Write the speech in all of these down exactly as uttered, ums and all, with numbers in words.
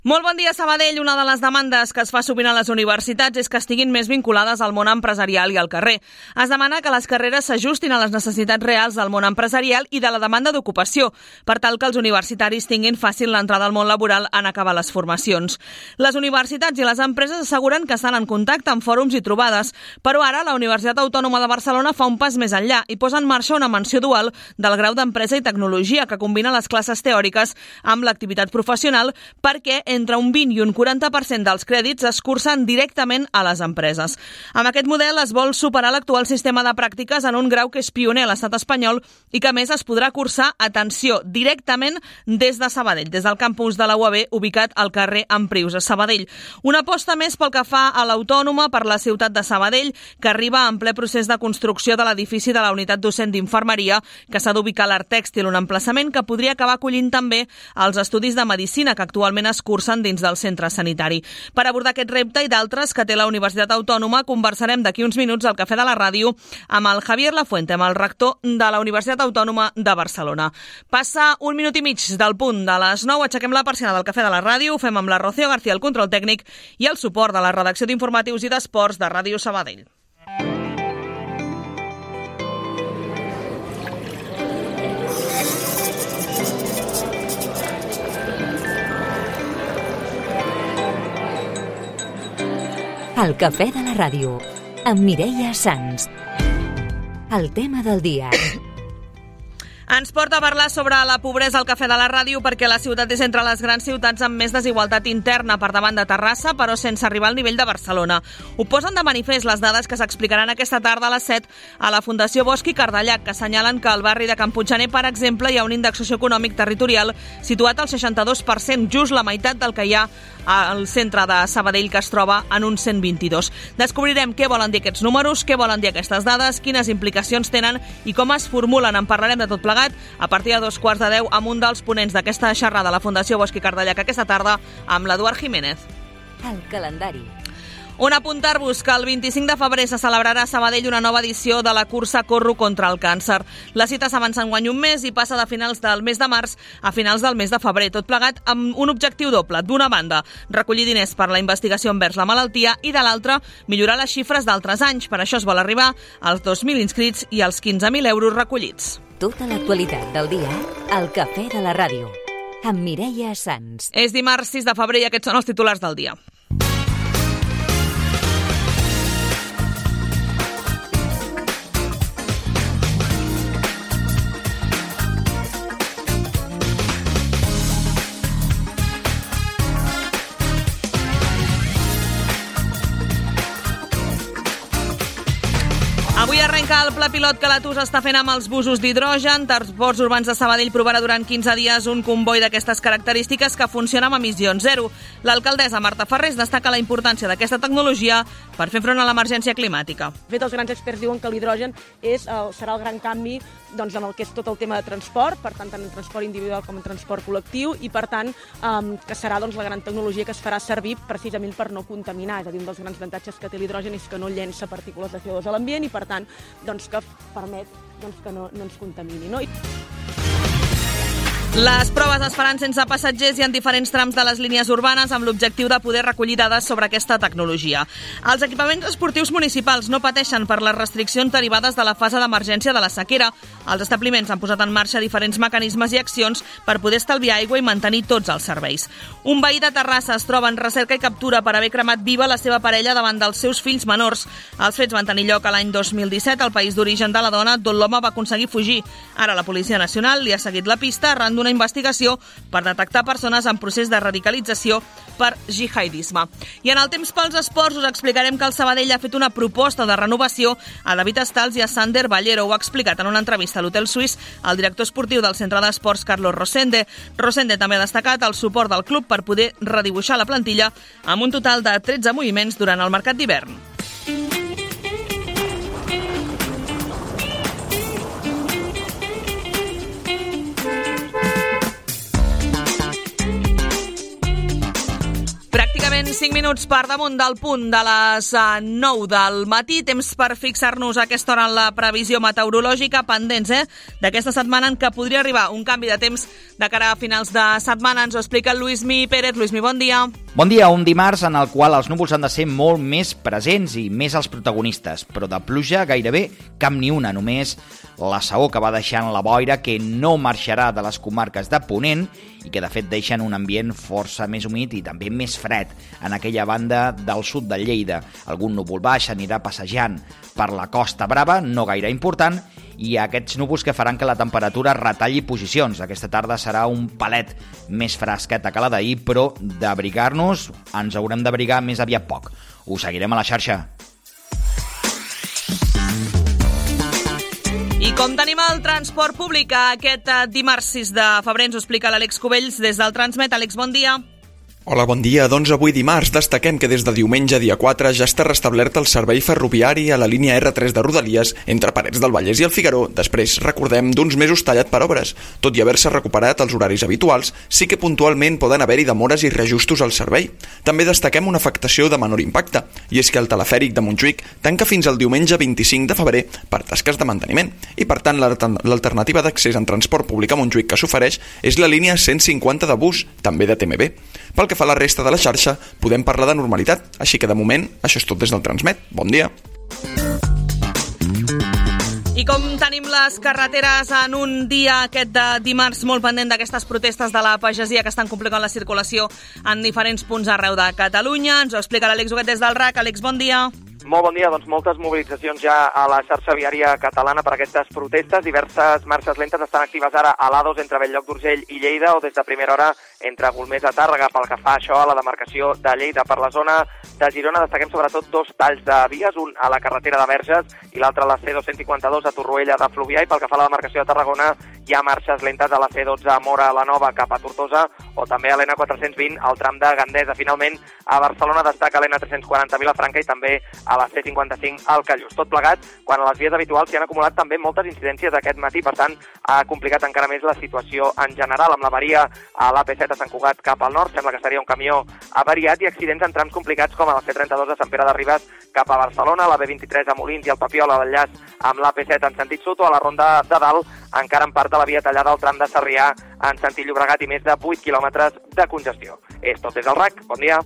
Molt bon dia, Sabadell. Una de les demandes que es fa sovint a les universitats és que estiguin més vinculades al món empresarial i al carrer. Es demana que les carreres s'ajustin a les necessitats reals del món empresarial i de la demanda d'ocupació, per tal que els universitaris tinguin fàcil l'entrada al món laboral en acabar les formacions. Les universitats i les empreses asseguren que estan en contacte amb fòrums i trobades, però ara la Universitat Autònoma de Barcelona fa un pas més enllà i posa en marxa una menció dual del grau d'Empresa i Tecnologia que combina les classes teòriques amb l'activitat professional perquè entre un vint i un quaranta per cent dels crèdits es cursen directament a les empreses. Amb aquest model es vol superar l'actual sistema de pràctiques en un grau que és pioner a l'estat espanyol i que a més es podrà cursar, atenció, directament des de Sabadell, des del campus de la U A B ubicat al carrer Emprius a Sabadell. Una aposta més pel que fa a l'Autònoma per la ciutat de Sabadell, que arriba en ple procés de construcció de l'edifici de la unitat docent d'infermeria, que s'ha d'ubicar a l'Art Tèxtil, un emplaçament que podria acabar acollint també els estudis de medicina que actualment es cursen dins del centre sanitari. Per abordar aquest repte i d'altres que té la Universitat Autònoma, conversarem d'aquí uns minuts al Cafè de la Ràdio amb el Javier Lafuente, amb el rector de la Universitat Autònoma de Barcelona. Passa un minut i mig del punt de les nou, aixequem la persiana del Cafè de la Ràdio, ho fem amb la Rocío García, el control tècnic, i el suport de la redacció d'informatius i d'esports de Ràdio Sabadell. El Cafè de la Ràdio, amb Mireia Sans. El tema del dia. Ens porta a parlar sobre la pobresa al Cafè de la Ràdio perquè la ciutat és entre les grans ciutats amb més desigualtat interna per davant de Terrassa, però sense arribar al nivell de Barcelona. Ho posen de manifest les dades que s'explicaran aquesta tarda a les set a la Fundació Bosch i Cardellac, que assenyalen que al barri de Can Puiggener, per exemple, hi ha un índex socioeconòmic territorial situat al seixanta-dos per cent, just la meitat del que hi ha al centre de Sabadell, que es troba en un cent vint-i-dos. Descobrirem què volen dir aquests números, què volen dir aquestes dades, quines implicacions tenen i com es formulen. En parlarem de tot plegat a partir de dos quarts de deu amb un dels ponents d'aquesta xerrada de la Fundació Bosch i Cardellac aquesta tarda, amb l'Eduard Jiménez. El calendari. On apuntar-vos que el vint-i-cinc de febrer se celebrarà a Sabadell una nova edició de la cursa Corro contra el càncer. La cita s'avança enguany un mes i passa de finals del mes de març a finals del mes de febrer, tot plegat amb un objectiu doble. D'una banda, recollir diners per la investigació envers la malaltia i de l'altra, millorar les xifres d'altres anys. Per això es vol arribar als dos mil inscrits i als quinze mil euros recollits. Tota l'actualitat del dia al Cafè de la Ràdio, amb Mireia Sans. És dimarts sis de febrer i aquests són els titulars del dia. Avui arrenca el pla pilot que l'A T U S està fent amb els busos d'hidrogen. Transports Urbans de Sabadell provarà durant quinze dies un comboi d'aquestes característiques que funciona amb emissions zero. L'alcaldessa Marta Ferrés destaca la importància d'aquesta tecnologia per fer front a l'emergència climàtica. De fet, els grans experts diuen que l'hidrogen és, el, serà el gran canvi doncs, en el que és tot el tema de transport, per tant, tant en transport individual com en transport col·lectiu, i per tant, um, que serà doncs, la gran tecnologia que es farà servir precisament per no contaminar. És a dir, un dels grans avantatges que té l'hidrogen és que no llença partícules de C O dos a l'ambient i, per tant, doncs, que permet doncs, que no, no ens contamini. No? Les proves es faran sense passatgers i en diferents trams de les línies urbanes amb l'objectiu de poder recollir dades sobre aquesta tecnologia. Els equipaments esportius municipals no pateixen per les restriccions derivades de la fase d'emergència de la sequera. Els establiments han posat en marxa diferents mecanismes i accions per poder estalviar aigua i mantenir tots els serveis. Un veí de Terrassa es troba en recerca i captura per haver cremat viva la seva parella davant dels seus fills menors. Els fets van tenir lloc a l'any dos mil disset al país d'origen de la dona, d'on l'home va aconseguir fugir. Ara la Policia Nacional li ha seguit la pista arran d'una investigació per detectar persones en procés de radicalització per jihadisme. I en el temps pels esports us explicarem que el Sabadell ha fet una proposta de renovació a David Estals i a Sander Ballero. Ho ha explicat en una entrevista a l'Hotel Suís el director esportiu del Centre d'Esports, Carlos Rosende. Rosende també ha destacat el suport del club per poder redibuixar la plantilla amb un total de tretze moviments durant el mercat d'hivern. Pràcticament cinc minuts per damunt del punt de les nou del matí. Temps per fixar-nos a aquesta hora en la previsió meteorològica, pendents eh, d'aquesta setmana en què podria arribar un canvi de temps de cara a finals de setmana. Ens ho explica el Lluïsmi Pérez. Lluïsmi, bon dia. Bon dia, un dimarts en el qual els núvols han de ser molt més presents i més els protagonistes, però de pluja gairebé cap ni una, només la saó que va deixant la boira, que no marxarà de les comarques de Ponent i que de fet deixen un ambient força més humit i també més fred en aquella banda del sud de Lleida. Algun núvol baix anirà passejant per la Costa Brava, no gaire important, i aquests núvols que faran que la temperatura retalli posicions. Aquesta tarda serà un palet més fresqueta que la d'ahir, però d'abrigar-nos ens haurem d'abrigar més aviat poc. Ho seguirem a la xarxa. I com tenim el transport públic aquest dimarts sis de febrer, ens ho explica l'Àlex Cubells des del Transmet. Àlex, bon dia. Hola, bon dia. Doncs avui dimarts destaquem que des de diumenge, dia quatre, ja està restablert el servei ferroviari a la línia erre tres de Rodalies entre Parets del Vallès i el Figaró, després, recordem, d'uns mesos tallat per obres. Tot i haver-se recuperat els horaris habituals, sí que puntualment poden haver-hi demores i reajustos al servei. També destaquem una afectació de menor impacte, i és que el telefèric de Montjuïc tanca fins al diumenge vint-i-cinc de febrer per tasques de manteniment, i per tant l'alternativa d'accés en transport públic a Montjuïc que s'ofereix és la línia cent cinquanta de bus, també de te eme be. Pel que fa a la resta de la xarxa, podem parlar de normalitat, així que de moment això és tot des del Transmet. Bon dia. I com tenim les carreteres en un dia aquest de dimarts molt pendent d'aquestes protestes de la pagesia que estan complicant la circulació en diferents punts arreu de Catalunya? Ens ho explica l'Àlex Huguet des del R A C. Àlex, bon dia. Molt bon dia, doncs moltes mobilitzacions ja a la xarxa viària catalana per aquestes protestes. Diverses marxes lentes estan actives ara a l'A dos entre Bell-lloc d'Urgell i Lleida, o des de primera hora entre Golmés a Tàrrega, pel que fa això a la demarcació de Lleida. Per la zona de Girona destaquem sobretot dos talls de vies, un a la carretera de Verges i l'altre a la ce dos cents cinquanta-dos a Torroella de Fluvià, i pel que fa a la demarcació de Tarragona hi ha marxes lentes a la ce dotze a Móra la Nova cap a Tortosa, o també a l'N quatre-cents vint al tram de Gandesa. Finalment, a Barcelona destaca l'N tres-cents quaranta a Vilafranca i també a la ce cinquanta-cinc al Callús. Tot plegat, quan a les vies habituals s'hi han acumulat també moltes incidències aquest matí, per tant, ha complicat encara més la situació en general, amb l'avaria a l'A P set a Sant Cugat cap al nord, sembla que seria un camió avariat, i accidents en trams complicats com a la ce trenta-dos a Sant Pere de Ribes cap a Barcelona, la be vint-i-tres a Molins i el Papiol a l'enllaç amb l'A P set en sentit sud, o a la Ronda de Dalt, encara en part de la via tallada al tram de Sarrià en sentit Llobregat i més de vuit quilòmetres de congestió. És tot des del R A C. Bon dia.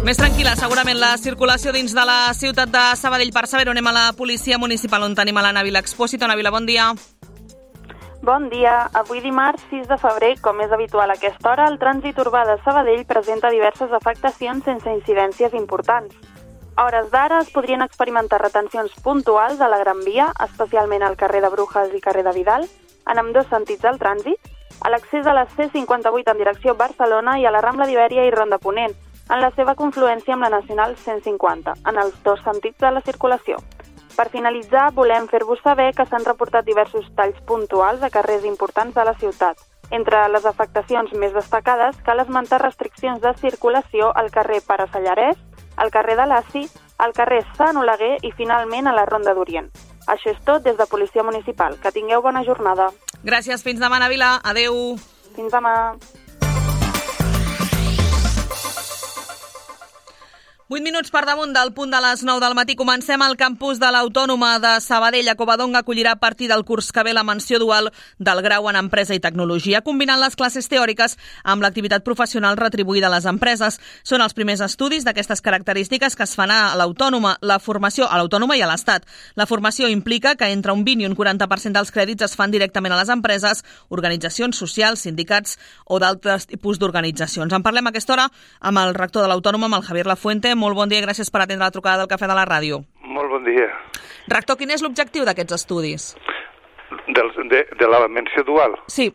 Més tranquil·la, segurament, la circulació dins de la ciutat de Sabadell. Per saber-ho, anem a la policia municipal, on tenim a l'Anna Vila Expósito. Anna Vila, bon dia. Bon dia. Avui dimarts sis de febrer, com és habitual a aquesta hora, el trànsit urbà de Sabadell presenta diverses afectacions sense incidències importants. A hores d'ara es podrien experimentar retencions puntuals a la Gran Via, especialment al carrer de Brujas i carrer de Vidal, en ambdós sentits del trànsit, a l'accés a la ce cinquanta-vuit en direcció Barcelona i a la Rambla d'Ibèria i Ronda Ponent, en la seva confluència amb la Nacional cent cinquanta, en els dos sentits de la circulació. Per finalitzar, volem fer-vos saber que s'han reportat diversos talls puntuals a carrers importants de la ciutat. Entre les afectacions més destacades, cal esmentar restriccions de circulació al carrer Pare Sallarès, al carrer de l'Aci, al carrer Sant Oleguer i, finalment, a la Ronda d'Orient. Això és tot des de Policia Municipal. Que tingueu bona jornada. Gràcies. Fins demà, Anna Vila. Adéu. Fins demà. vuit minuts per damunt del punt de les nou del matí. Comencem al campus de l'Autònoma de Sabadell. A Covadonga acollirà a partir del curs que ve la menció dual del grau en Empresa i Tecnologia, combinant les classes teòriques amb l'activitat professional retribuïda a les empreses. Són els primers estudis d'aquestes característiques que es fan a l'Autònoma, la formació a l'Autònoma i a l'Estat. La formació implica que entre un vint i un quaranta per cent dels crèdits es fan directament a les empreses, organitzacions socials, sindicats o d'altres tipus d'organitzacions. En parlem a aquesta hora amb el rector de l'Autònoma, amb el Javier Lafuente. Molt bon dia i gràcies per atendre la trucada del Cafè de la Ràdio. Molt bon dia. Rector, quin és l'objectiu d'aquests estudis? Del, de, de la menció dual? Sí.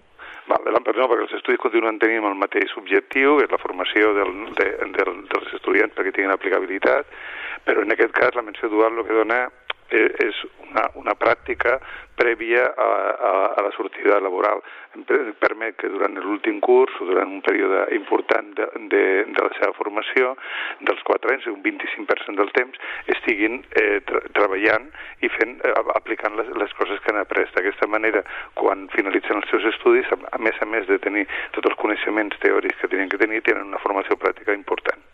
Vale, no, perquè els estudis continuen tenint el mateix objectiu, és la formació del, de, del, dels estudiants perquè tinguin aplicabilitat, però en aquest cas la menció dual el que dona és una, una pràctica prèvia a, a, a la sortida laboral. Em permet que durant l'últim curs o durant un període important de, de, de la seva formació, dels quatre anys, un vint-i-cinc per cent del temps, estiguin eh, tra treballant i fent, eh, aplicant les, les coses que han après. D'aquesta manera, quan finalitzen els seus estudis, a més a més de tenir tots els coneixements teòrics que tenien que tenir, tenen una formació pràctica important.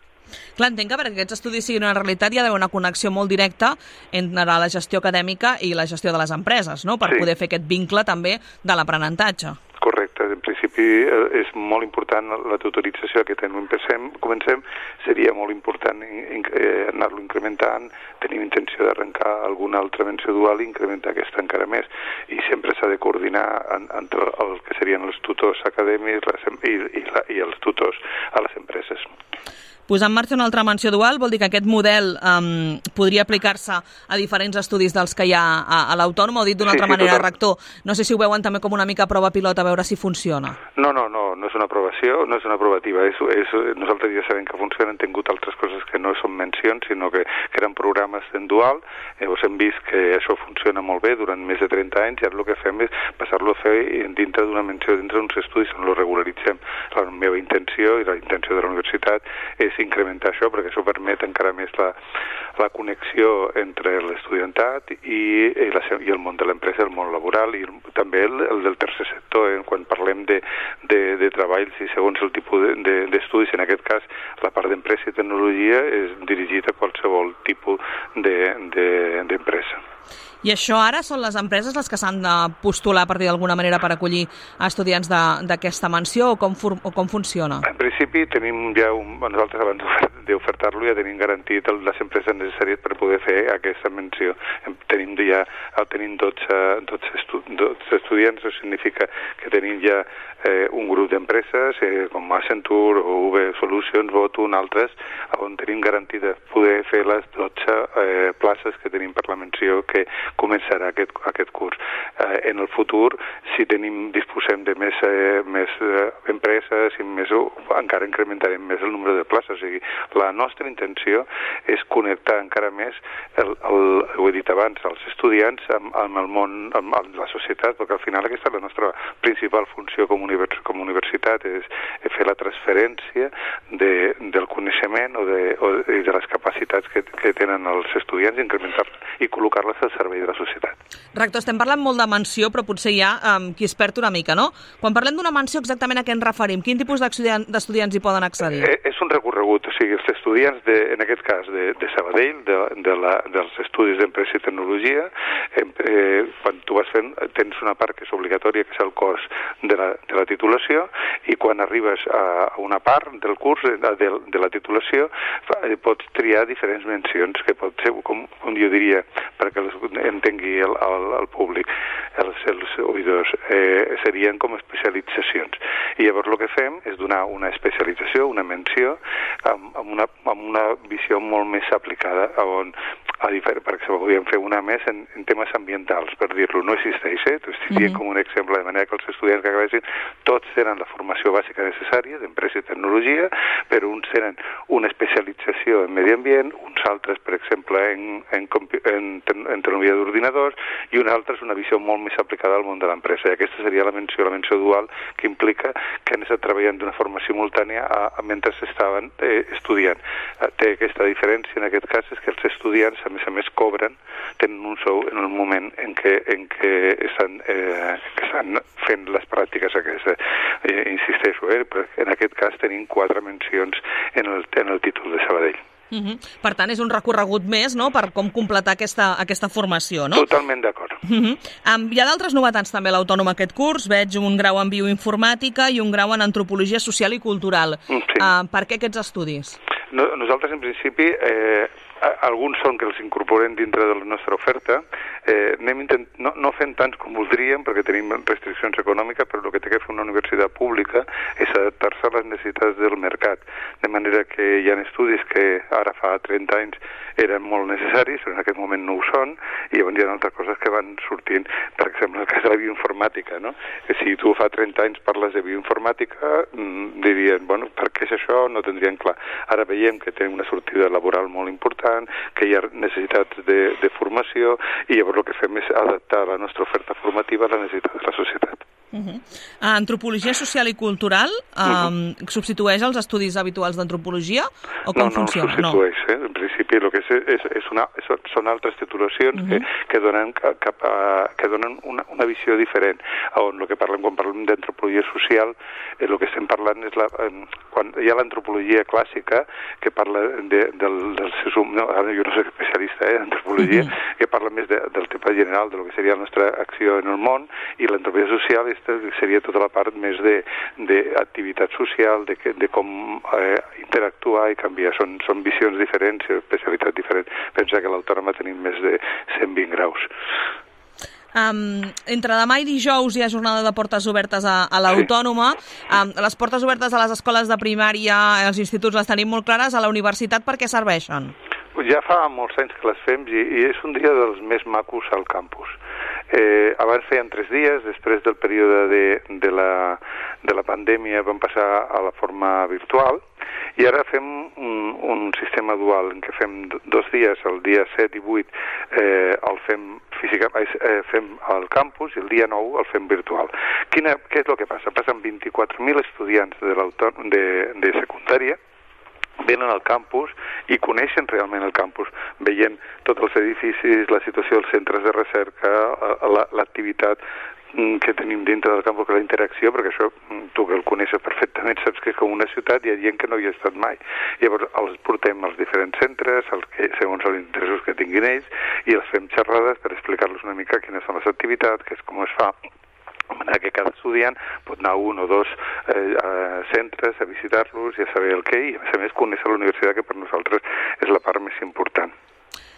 Clar, entenc que perquè aquests estudis siguin una realitat hi ha d'haver una connexió molt directa entre la gestió acadèmica i la gestió de les empreses, no? Per sí. poder fer aquest vincle també de l'aprenentatge. Correcte. En principi és molt important la tutorització que comencem, comencem seria molt important eh, anar-lo incrementant, tenim intenció d'arrencar alguna altra menció dual i incrementar aquesta encara més. I sempre s'ha de coordinar en, entre el que serien els tutors acadèmics les, i, i, la, i els tutors a les empreses. Posar en marxa una altra menció dual vol dir que aquest model um, podria aplicar-se a diferents estudis dels que hi ha a, a l'Autònoma, o dit d'una sí, altra sí, manera, total. Rector, no sé si ho veuen també com una mica prova pilot a veure si funciona. No, no, no, no és una aprovació, no és una aprovativa. És, és, nosaltres ja sabem que funciona, hem tingut altres coses que no són mencions, sinó que, que eren programes en dual, llavors hem vist que això funciona molt bé durant més de trenta anys i ara el que fem és passar-lo a fer dintre d'una menció, dintre d'uns estudis on lo regularitzem. La meva intenció i la intenció de la universitat és incrementar això, perquè això permet encara més la, la connexió entre l'estudiantat i, i, la, i el món de l'empresa, el món laboral i el, també el, el del tercer sector. Eh? Quan parlem de, de, de treballs i segons el tipus d'estudis, de, de, en aquest cas la part d'empresa i tecnologia és dirigida a qualsevol tipus d'empresa. De, I això ara són les empreses les que s'han de postular a partir d'alguna manera per acollir estudiants d'aquesta menció o com, o com funciona? En principi tenim ja, un, nosaltres abans d'ofertar-lo ja tenim garantit les empreses necessàries per poder fer aquesta menció. Tenim ja tenim dotze, dotze, estu, dotze estudiants, això significa que tenim ja eh, un grup d'empreses eh, com Accenture o U V Solutions, Votun, altres, on tenim garantit poder fer les dotze eh, places que tenim per la menció que començarà aquest, aquest curs. Eh, en el futur, si tenim, disposem de més, eh, més eh, empreses i més, encara incrementarem més el nombre de places. O sigui, la nostra intenció és connectar encara més, el, el, ho he dit abans, els estudiants amb, amb el món, amb, amb la societat, perquè al final aquesta és la nostra principal funció com, univers, com a universitat, és, és fer la transferència de, del coneixement o de, o de, de les capacitats que, que tenen els estudiants, incrementar-les i col·locar-les al servei de la societat. Rector, estem parlant molt de menció, però potser hi ha um, qui es perd una mica, no? Quan parlem d'una menció, exactament a què ens referim? Quin tipus d'estudiants hi poden accedir? Eh, és un recorregut, o sigui, els estudiants, de, en aquest cas, de, de Sabadell, de, de la, dels estudis d'empresa i tecnologia, eh, quan tu vas fent, tens una part que és obligatòria, que és el cos de la, de la titulació, i quan arribes a una part del curs, de, de, de la titulació, pots triar diferents mencions, que pot ser, com, com jo diria, perquè entengui el, el, el públic, els, els oïdors, eh, serien com especialitzacions. I llavors el que fem és donar una especialització, una menció, amb, amb, una, amb una visió molt més aplicada, on, a diferent, per exemple, podríem fer una més en, en temes ambientals, per dir-lo, no existeix, eh? T'ho estic dient mm-hmm. com un exemple, de manera que els estudiants que acabessin, tots tenen la formació bàsica necessària d'empresa i tecnologia, però uns tenen una especialització en medi ambient, uns altres, per exemple, en, en, en, en tecnologia d'ordinadors, i una altra és una visió molt més aplicada al món de l'empresa. I aquesta seria la menció, la menció dual, que implica que han estat treballant d'una forma simultània a, a mentre s'estaven eh, estudiant. Eh, té aquesta diferència, en aquest cas, és que els estudiants, a més a més, cobren, tenen un sou en el moment en què, en què estan, eh, que estan fent les pràctiques aquestes. Eh, insisteixo, eh, però en aquest cas tenim quatre mencions en el, en el títol de Sabadell. Uh-huh. Per tant, és un recorregut més, no?, per com completar aquesta, aquesta formació, no? Totalment d'acord. Uh-huh. Um, hi ha d'altres novetats també a l'Autònoma aquest curs. Veig un grau en bioinformàtica i un grau en antropologia social i cultural. Sí. Uh, per què aquests estudis? No, nosaltres, en principi, eh, alguns són que els incorporem dintre de la nostra oferta. eh, anem intent... no, no fem tants com voldríem perquè tenim restriccions econòmiques, però el que té que fer una universitat pública és adaptar-se a les necessitats del mercat, de manera que hi ha estudis que ara fa trenta anys eren molt necessaris, però en aquest moment no ho són, i llavors hi ha altres coses que van sortint, per exemple, el cas de la bioinformàtica, no? Que si tu fa trenta anys parles de bioinformàtica, mmm, dirien, bueno, per què és això? No tindrien clar. Ara veiem que tenim una sortida laboral molt important, que hi ha necessitats de, de formació, i llavors el que fem és adaptar la nostra oferta formativa a la necessitat de la societat. Uh-huh. Antropologia social i cultural um, uh-huh. substitueix els estudis habituals d'antropologia o com no, no, funciona? No, no substitueix. Eh? En principi el que és, és, és una, són altres titulacions uh-huh. que, que donen, cap a, que donen una, una visió diferent. On el que parlem, quan parlem d'antropologia social, eh, el que estem parlant és la, eh, quan hi ha l'antropologia clàssica que parla de, del, del no, ara jo no soc especialista eh, d'antropologia, uh-huh. que parla més de, del tema general, de lo que seria la nostra acció en el món, i l'antropologia social és seria tota la part més d'activitat social, de, de com eh, interactuar i canviar. Són, són visions diferents i especialitats diferents. Pensa que a l'Autònoma tenim més de cent vint graus. Um, entre demà i dijous hi ha jornada de portes obertes a, a l'Autònoma. Sí. Um, les portes obertes a les escoles de primària, als instituts les tenim molt clares. A la universitat per què serveixen? Ja fa molts anys que les fem i, i és un dia dels més macos al campus. Eh, abans feien tres dies, després del període de, de, la, de la pandèmia vam passar a la forma virtual i ara fem un, un sistema dual en què fem dos dies, el dia set i vuit eh, el fem física, eh, fem al campus i el dia nou el fem virtual. Quina, què és el que passa? Passen vint-i-quatre mil estudiants de, de, de secundària venen al campus i coneixen realment el campus, veient tots els edificis, la situació dels centres de recerca, l'activitat que tenim dintre del campus, la interacció, perquè això tu que el coneixes perfectament saps que és com una ciutat i hi ha gent que no hi ha estat mai. Llavors els portem als diferents centres, els que, segons els interessos que tinguin ells, i els fem xerrades per explicar-los una mica quines són les activitats, que és com es fa, de manera que cada estudiant pot anar a un o dos eh, a centres a visitar-los i a saber el què, i a més a més conèixer la universitat, que per nosaltres és la part més important.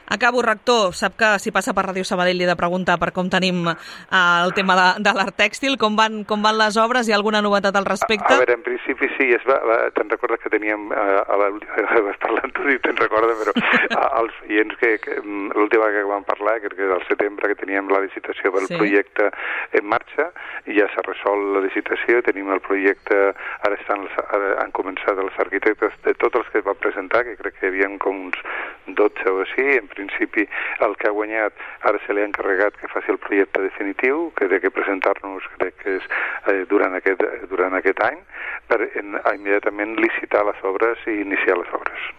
Acabo, rector. Sap que si passa per Ràdio Sabadell li he de preguntar per com tenim eh, el tema de, de l'art tèxtil, com van, com van les obres, hi ha alguna novetat al respecte? A, a veure, en principi sí, es va, va, te'n recordes que teníem, eh, a l'última vegada vas parlant tu i te'n recordes, però a, els clients que, que l'última vegada que vam parlar, crec que era al setembre, que teníem la licitació pel sí. projecte en marxa, i ja s'ha resolt la licitació, tenim el projecte, ara, estan, ara han començat els arquitectes de tots els que es van presentar, que crec que hi havia com uns dotze o així, en principi el que ha guanyat ara se li ha encarregat que faci el projecte definitiu, que té que presentar-nos crec que és eh, durant, aquest, durant aquest any, per en, immediatament licitar les obres i iniciar les obres.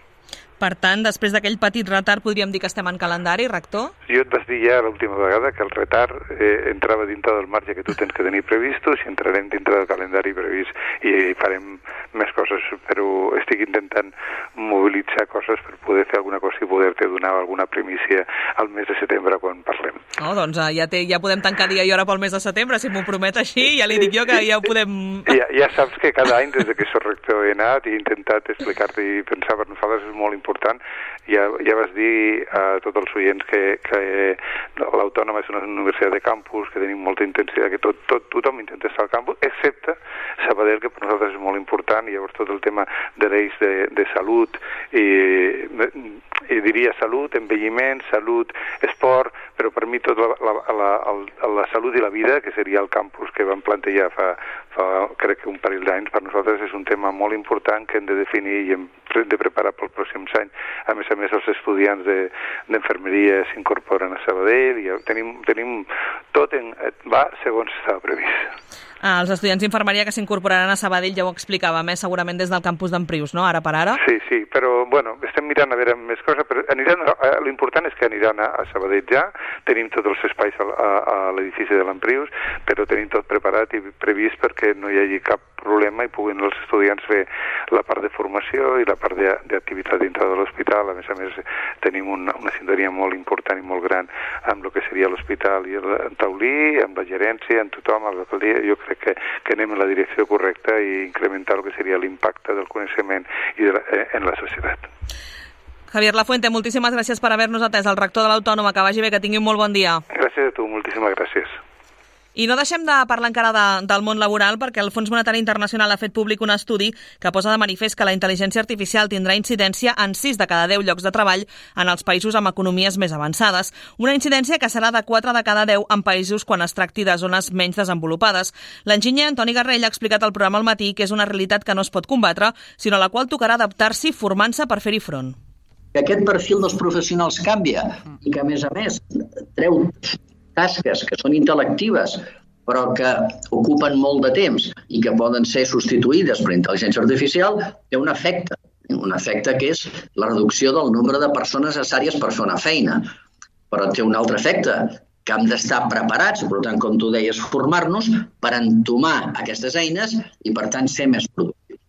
Per tant, després d'aquell petit retard, podríem dir que estem en calendari, rector? Jo et vas dir ja l'última vegada que el retard eh, entrava dintre del marge que tu tens que tenir previstos i entrarem dintre del calendari previst i farem més coses, però estic intentant mobilitzar coses per poder fer alguna cosa i poder-te donar alguna primícia al mes de setembre quan parlem. Oh, doncs ja, té, ja podem tancar dia i hora pel mes de setembre, si m'ho promet així, ja li dic jo que ja ho podem... Ja, ja saps que cada any, des de que soc rector, he anat i he intentat explicar-te i pensar per nosaltres és molt important important. Ja, ja vas dir a tots els oients que, que l'Autònoma és una universitat de campus, que tenim molta intensitat, que tot, tot, tothom intenta estar al campus, excepte Sabadell, que per nosaltres és molt important, i llavors tot el tema de l'eix de, de salut, i, i diria salut, envelliment, salut, esport, però per mi tota la, la, la, la salut i la vida, que seria el campus que vam plantejar fa, fa crec que un parell d'anys, per nosaltres és un tema molt important que hem de definir i hem de preparar pels pròxims anys. A més a més, els estudiants d'enfermeria de, s'incorporen a Sabadell i tenim, tenim tot en, va segons estava previst. Ah, els estudiants d'infermeria que s'incorporaran a Sabadell ja ho explicàvem, eh? Segurament des del campus d'Emprius, no? Ara per ara. Sí, sí, però bueno, estem mirant a veure més coses, però aniran, eh, l'important és que aniran a, a Sabadell ja, tenim tots els espais a, a, a l'edifici de l'Emprius, però tenim tot preparat i previst perquè no hi hagi cap problema i puguin els estudiants fer la part de formació i la part d'activitat dintre de l'hospital. A més a més, tenim una, una sintonia molt important i molt gran amb el que seria l'hospital i el taulí, amb la gerència, amb tothom, amb l'alcaldia. Jo crec que, que anem en la direcció correcta i incrementar el que seria l'impacte del coneixement i de la, en la societat. Javier Lafuente, moltíssimes gràcies per haver-nos atès, el rector de l'Autònoma. Que vagi bé, que tingui un molt bon dia. Gràcies a tu, moltíssimes gràcies. I no deixem de parlar encara de, del món laboral, perquè el Fons Monetari Internacional ha fet públic un estudi que posa de manifest que la intel·ligència artificial tindrà incidència en sis de cada deu llocs de treball en els països amb economies més avançades. Una incidència que serà de quatre de cada deu en països quan es tracti de zones menys desenvolupades. L'enginyer Antoni Garrell ha explicat al programa al matí que és una realitat que no es pot combatre, sinó a la qual tocarà adaptar-s'hi formant-se per fer-hi front. Que aquest perfil dels professionals canvia i que, a més a més, treu tasques que són intel·lectives però que ocupen molt de temps i que poden ser substituïdes per intel·ligència artificial, té un efecte. Un efecte que és la reducció del nombre de persones necessàries per fer una feina. Però té un altre efecte, que hem d'estar preparats, per tant, com tu deies, formar-nos per entomar aquestes eines i, per tant, ser més productius.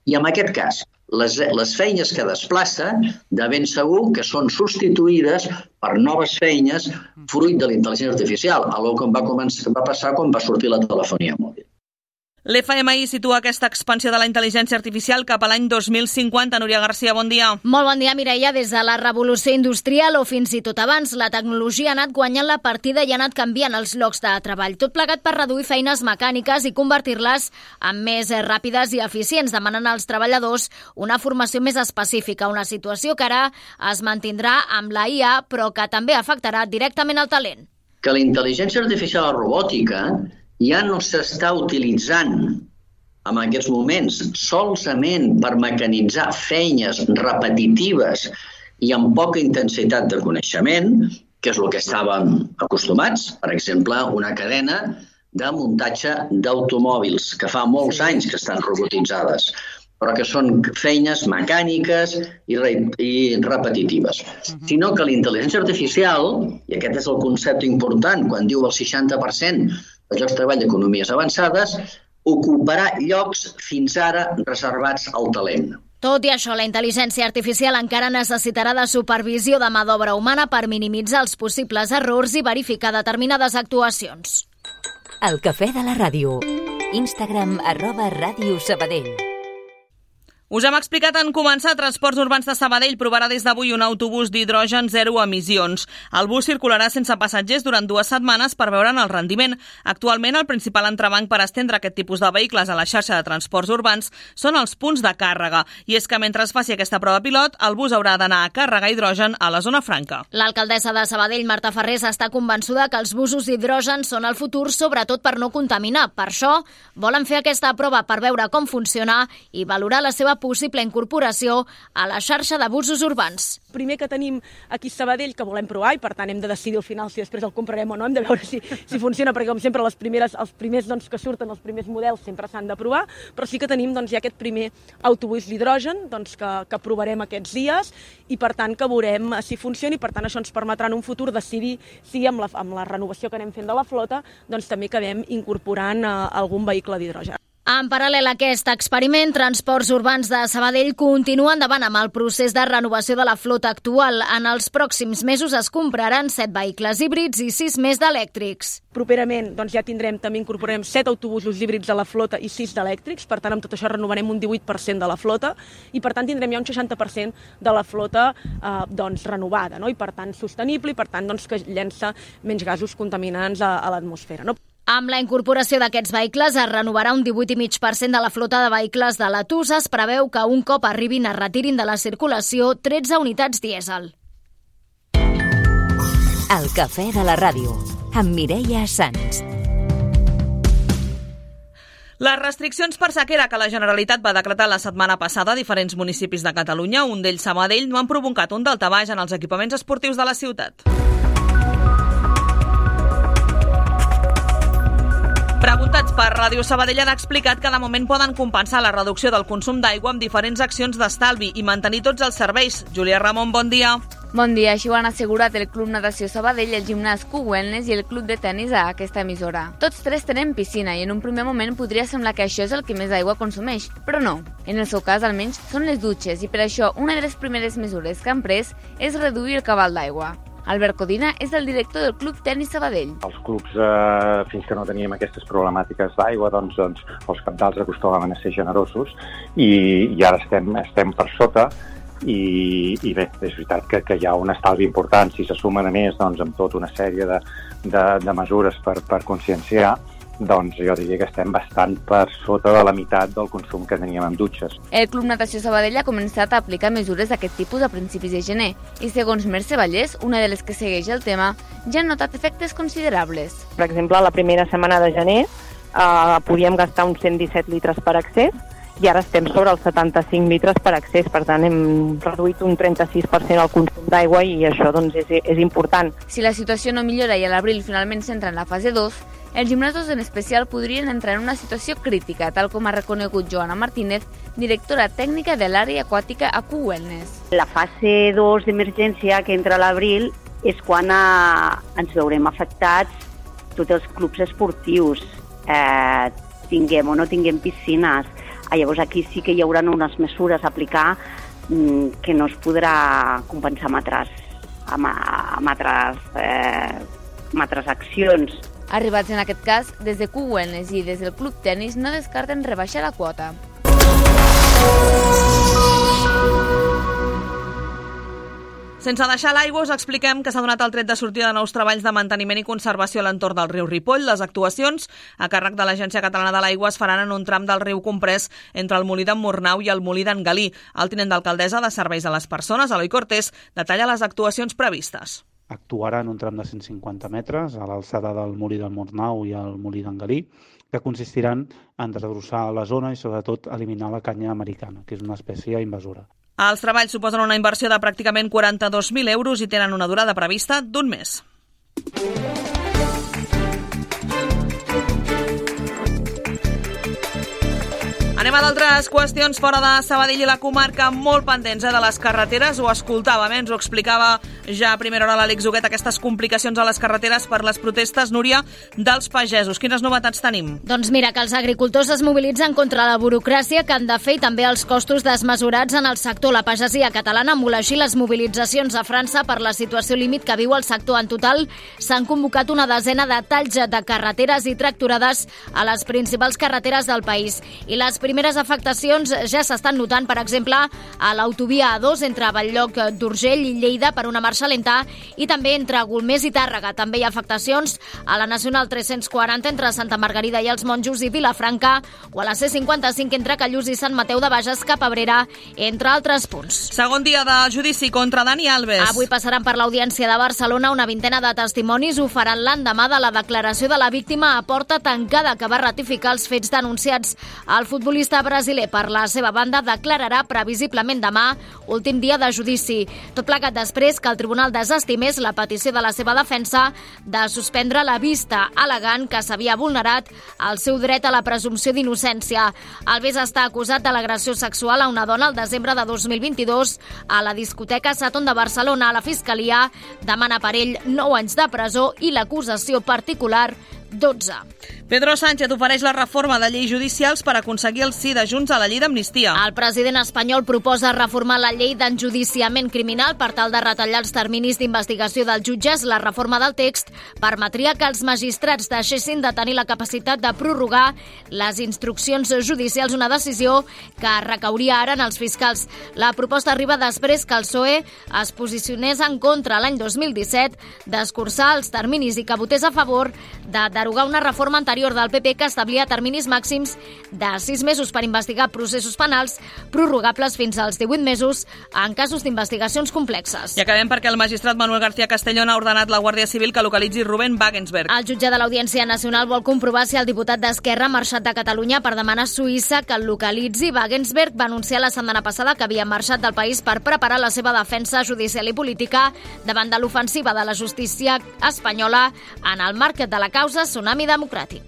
I en aquest cas, les, les feines que desplaça, de ben segur que són substituïdes per noves feines fruit de la intel·ligència artificial, algo que va, començar, va passar quan va sortir la telefonia mòbil. L'F M I situa aquesta expansió de la intel·ligència artificial cap a l'any dos mil cinquanta. Núria Garcia, bon dia. Molt bon dia, Mireia. Des de la revolució industrial o fins i tot abans, la tecnologia ha anat guanyant la partida i ha anat canviant els llocs de treball. Tot plegat per reduir feines mecàniques i convertir-les en més ràpides i eficients, demanant als treballadors una formació més específica, una situació que ara es mantindrà amb la I A, però que també afectarà directament el talent. Que la intel·ligència artificial i robòtica ja no s'està utilitzant en aquests moments solament per mecanitzar feines repetitives i amb poca intensitat de coneixement, que és el que estàvem acostumats. Per exemple, una cadena de muntatge d'automòbils, que fa molts anys que estan robotitzades, però que són feines mecàniques i, re i repetitives. Uh-huh. Sinó que la intel·ligència artificial, i aquest és el concepte important quan diu el seixanta per cent els llocs de treball d'economies avançades, ocuparà llocs fins ara reservats al talent. Tot i això, la intel·ligència artificial encara necessitarà de supervisió de mà d'obra humana per minimitzar els possibles errors i verificar determinades actuacions. El cafè de la ràdio. Instagram arroba Ràdio Sabadell. Us hem explicat en començar, Transports Urbans de Sabadell provarà des d'avui un autobús d'hidrogen zero emissions. El bus circularà sense passatgers durant dues setmanes per veure'n el rendiment. Actualment, el principal entrebanc per estendre aquest tipus de vehicles a la xarxa de transports urbans són els punts de càrrega. I és que mentre es faci aquesta prova pilot, el bus haurà d'anar a carregar hidrogen a la zona franca. L'alcaldessa de Sabadell, Marta Ferrés, està convençuda que els busos d'hidrogen són el futur, sobretot per no contaminar. Per això, volen fer aquesta prova per veure com funciona i valorar la seva possible incorporació a la xarxa de busos urbans. Primer que tenim aquí a Sabadell, que volem provar, i per tant hem de decidir al final si després el comprarem o no, hem de veure si, si funciona, perquè com sempre les primeres, els primers doncs, que surten, els primers models sempre s'han de provar, però sí que tenim doncs, ja aquest primer autobús d'hidrogen doncs, que, que provarem aquests dies i per tant que veurem si funciona i per tant això ens permetrà en un futur decidir si amb la, amb la renovació que anem fent de la flota doncs, també acabem incorporant uh, algun vehicle d'hidrogen. En paral·lel a aquest experiment, Transports Urbans de Sabadell continua endavant amb el procés de renovació de la flota actual. En els pròxims mesos es compraran set vehicles híbrids i sis més d'elèctrics. Properament doncs, ja tindrem, també incorporarem set autobusos híbrids a la flota i sis d'elèctrics, per tant amb tot això renovarem un divuit per cent de la flota i per tant tindrem ja un seixanta per cent de la flota eh, doncs, renovada, no? I per tant sostenible i per tant doncs, que llença menys gasos contaminants a, a l'atmosfera, no? Amb la incorporació d'aquests vehicles es renovarà un divuit coma cinc per cent de la flota de vehicles de la T U S. Es preveu que un cop arribin es retirin de la circulació tretze unitats dièsel. El cafè de la ràdio, amb Mireia Sans. Les restriccions per sequera que la Generalitat va decretar la setmana passada a diferents municipis de Catalunya, un d'ells Sabadell, no han provocat un daltabaix en els equipaments esportius de la ciutat. Preguntats per Ràdio Sabadell han explicat que de moment poden compensar la reducció del consum d'aigua amb diferents accions d'estalvi i mantenir tots els serveis. Júlia Ramon, bon dia. Bon dia, així ho han assegurat el Club Natació Sabadell, el Gimnàs Q-Wellness i el Club de Tenis a aquesta emissora. Tots tres tenen piscina i en un primer moment podria semblar que això és el que més aigua consumeix, però no. En el seu cas, almenys, són les dutxes i per això una de les primeres mesures que han pres és reduir el cabal d'aigua. Albert Codina és el director del Club Tenis Sabadell. Els clubs, eh, fins que no teníem aquestes problemàtiques d'aigua, doncs, doncs els cabdals acostumaven a ser generosos i, i ara estem, estem per sota i, i bé, és veritat que, que hi ha un estalvi important. Si se sumen a més doncs, amb tota una sèrie de, de, de mesures per, per conscienciar, doncs jo diria que estem bastant per sota de la meitat del consum que teníem amb dutxes. El Club Natació Sabadell ha començat a aplicar mesures d'aquest tipus a principis de gener i, segons Mercè Vallès, una de les que segueix el tema, ja han notat efectes considerables. Per exemple, la primera setmana de gener eh, podíem gastar uns cent disset litres per accés i ara estem sobre els setanta-cinc litres per accés, per tant hem reduït un trenta-sis per cent el consum d'aigua i això doncs, és, és important. Si la situació no millora i a l'abril finalment s'entra en la fase dos, els gimnasos en especial podrien entrar en una situació crítica, tal com ha reconegut Joana Martínez, directora tècnica de l'àrea aquàtica a Q Wellness. La fase dos d'emergència, que entra a l'abril, és quan a, ens veurem afectats tots els clubs esportius, eh, tinguem o no tinguem piscines. Ah, llavors aquí sí que hi haurà unes mesures a aplicar mm, que no es podrà compensar amb altres, amb, amb altres, eh, amb altres accions. Arribats en aquest cas, des de Q Wellness i des del Club Tenis no descarten rebaixar la quota. Sense deixar l'aigua, us expliquem que s'ha donat el tret de sortida de nous treballs de manteniment i conservació a l'entorn del riu Ripoll. Les actuacions a càrrec de l'Agència Catalana de l'Aigua es faran en un tram del riu comprès entre el Molí d'en Murnau i el Molí d'en Galí. El tinent d'alcaldessa de Serveis a les Persones, Eloi Cortés, detalla les actuacions previstes. Actuarà en un tram de cent cinquanta metres a l'alçada del Molí del Murnau i el Molí d'en Galí, que consistiran en desbrossar la zona i sobretot eliminar la canya americana, que és una espècie invasora. Els treballs suposen una inversió de pràcticament quaranta-dos mil euros i tenen una durada prevista d'un mes. Anem a d'altres qüestions fora de Sabadell i la comarca, molt pendents eh, de les carreteres. Ho escoltàvem, eh, ens ho explicava ja a primera hora l'Àlex Huguet, aquestes complicacions a les carreteres per les protestes, Núria, dels pagesos. Quines novetats tenim? Doncs mira, que els agricultors es mobilitzen contra la burocràcia que han de fer i també els costos desmesurats en el sector. La pagesia catalana emula així les mobilitzacions a França per la situació límit que viu el sector. En total s'han convocat una desena de talls de carreteres i tractorades a les principals carreteres del país. I les primeres afectacions ja s'estan notant, per exemple, a l'autovia A dos entre Bell-lloc d'Urgell i Lleida per una marxa lenta i també entre Golmés i Tàrrega. També hi ha afectacions a la Nacional tres-cents quaranta entre Santa Margarida i els Monjos i Vilafranca o a la C cinquanta-cinc entre Callús i Sant Mateu de Bages cap a Abrera, entre altres punts. Segon dia de judici contra Dani Alves. Avui passaran per l'Audiència de Barcelona una vintena de testimonis. Ho faran l'endemà de la declaració de la víctima a porta tancada que va ratificar els fets denunciats. El futbolista brasiler, per la seva banda, declararà previsiblement demà, últim dia de judici. Tot plegat després que el tribunal desestimés la petició de la seva defensa de suspendre la vista, al·legant que s'havia vulnerat el seu dret a la presumpció d'innocència. Alves està acusat de l'agressió sexual a una dona el desembre de dos mil vint-i-dos a la discoteca Saton de Barcelona. La Fiscalia demana per ell nou anys de presó i l'acusació particular dotze. Pedro Sánchez ofereix la reforma de lleis judicials per aconseguir el sí de Junts a la llei d'amnistia. El president espanyol proposa reformar la llei d'enjudiciament criminal per tal de retallar els terminis d'investigació dels jutges. La reforma del text permetria que els magistrats deixessin de tenir la capacitat de prorrogar les instruccions judicials, una decisió que recauria ara en els fiscals. La proposta arriba després que el P S O E es posicionés en contra l'any dos mil disset d'escurçar els terminis i que votés a favor de derogar una reforma anterior del P P que establia terminis màxims de sis mesos per investigar processos penals, prorrogables fins als divuit mesos en casos d'investigacions complexes. I acabem perquè el magistrat Manuel García Castellón ha ordenat la Guàrdia Civil que localitzi Rubén Wagensberg. El jutge de l'Audiència Nacional vol comprovar si el diputat d'Esquerra ha marxat de Catalunya per demanar a Suïssa que el localitzi. Wagensberg va anunciar la setmana passada que havia marxat del país per preparar la seva defensa judicial i política davant de l'ofensiva de la justícia espanyola en el marc de la causa Tsunami Democràtic.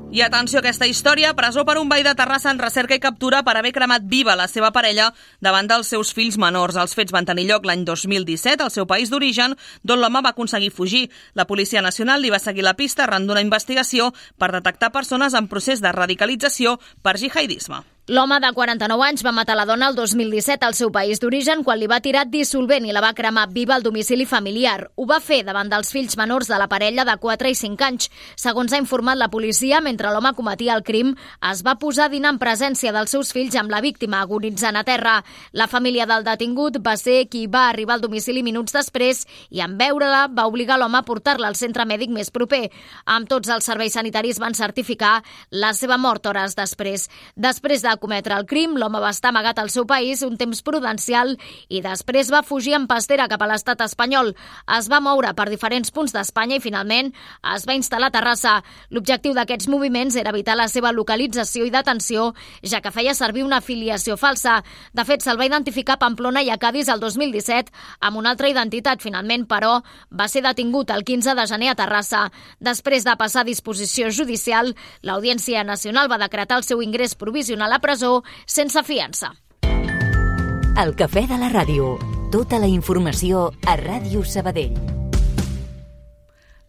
I atenció a aquesta història, presó per un veí de Terrassa en recerca i captura per haver cremat viva la seva parella davant dels seus fills menors. Els fets van tenir lloc l'any dos mil disset al seu país d'origen, d'on l'home va aconseguir fugir. La Policia Nacional li va seguir la pista arran d'una investigació per detectar persones en procés de radicalització per jihadisme. L'home de quaranta-nou anys va matar la dona el dos mil disset al seu país d'origen quan li va tirar dissolvent i la va cremar viva al domicili familiar. Ho va fer davant dels fills menors de la parella de quatre i cinc anys. Segons ha informat la policia, mentre l'home cometia el crim, es va posar a dinar en presència dels seus fills amb la víctima agonitzant a terra. La família del detingut va ser qui va arribar al domicili minuts després i en veure-la va obligar l'home a portar-la al centre mèdic més proper. Amb tots els serveis sanitaris van certificar la seva mort hores després. Després de cometre el crim, l'home va estar amagat al seu país un temps prudencial i després va fugir en pastera cap a l'estat espanyol. Es va moure per diferents punts d'Espanya i finalment es va instal·lar a Terrassa. L'objectiu d'aquests moviments era evitar la seva localització i detenció, ja que feia servir una afiliació falsa. De fet, se'l va identificar a Pamplona i a Cadis el dos mil disset amb una altra identitat. Finalment, però, va ser detingut el quinze de gener a Terrassa. Després de passar a disposició judicial, l'Audiència Nacional va decretar el seu ingrés provisional a presó sense fiança. El Cafè de la Ràdio. Tota la informació a Ràdio Sabadell.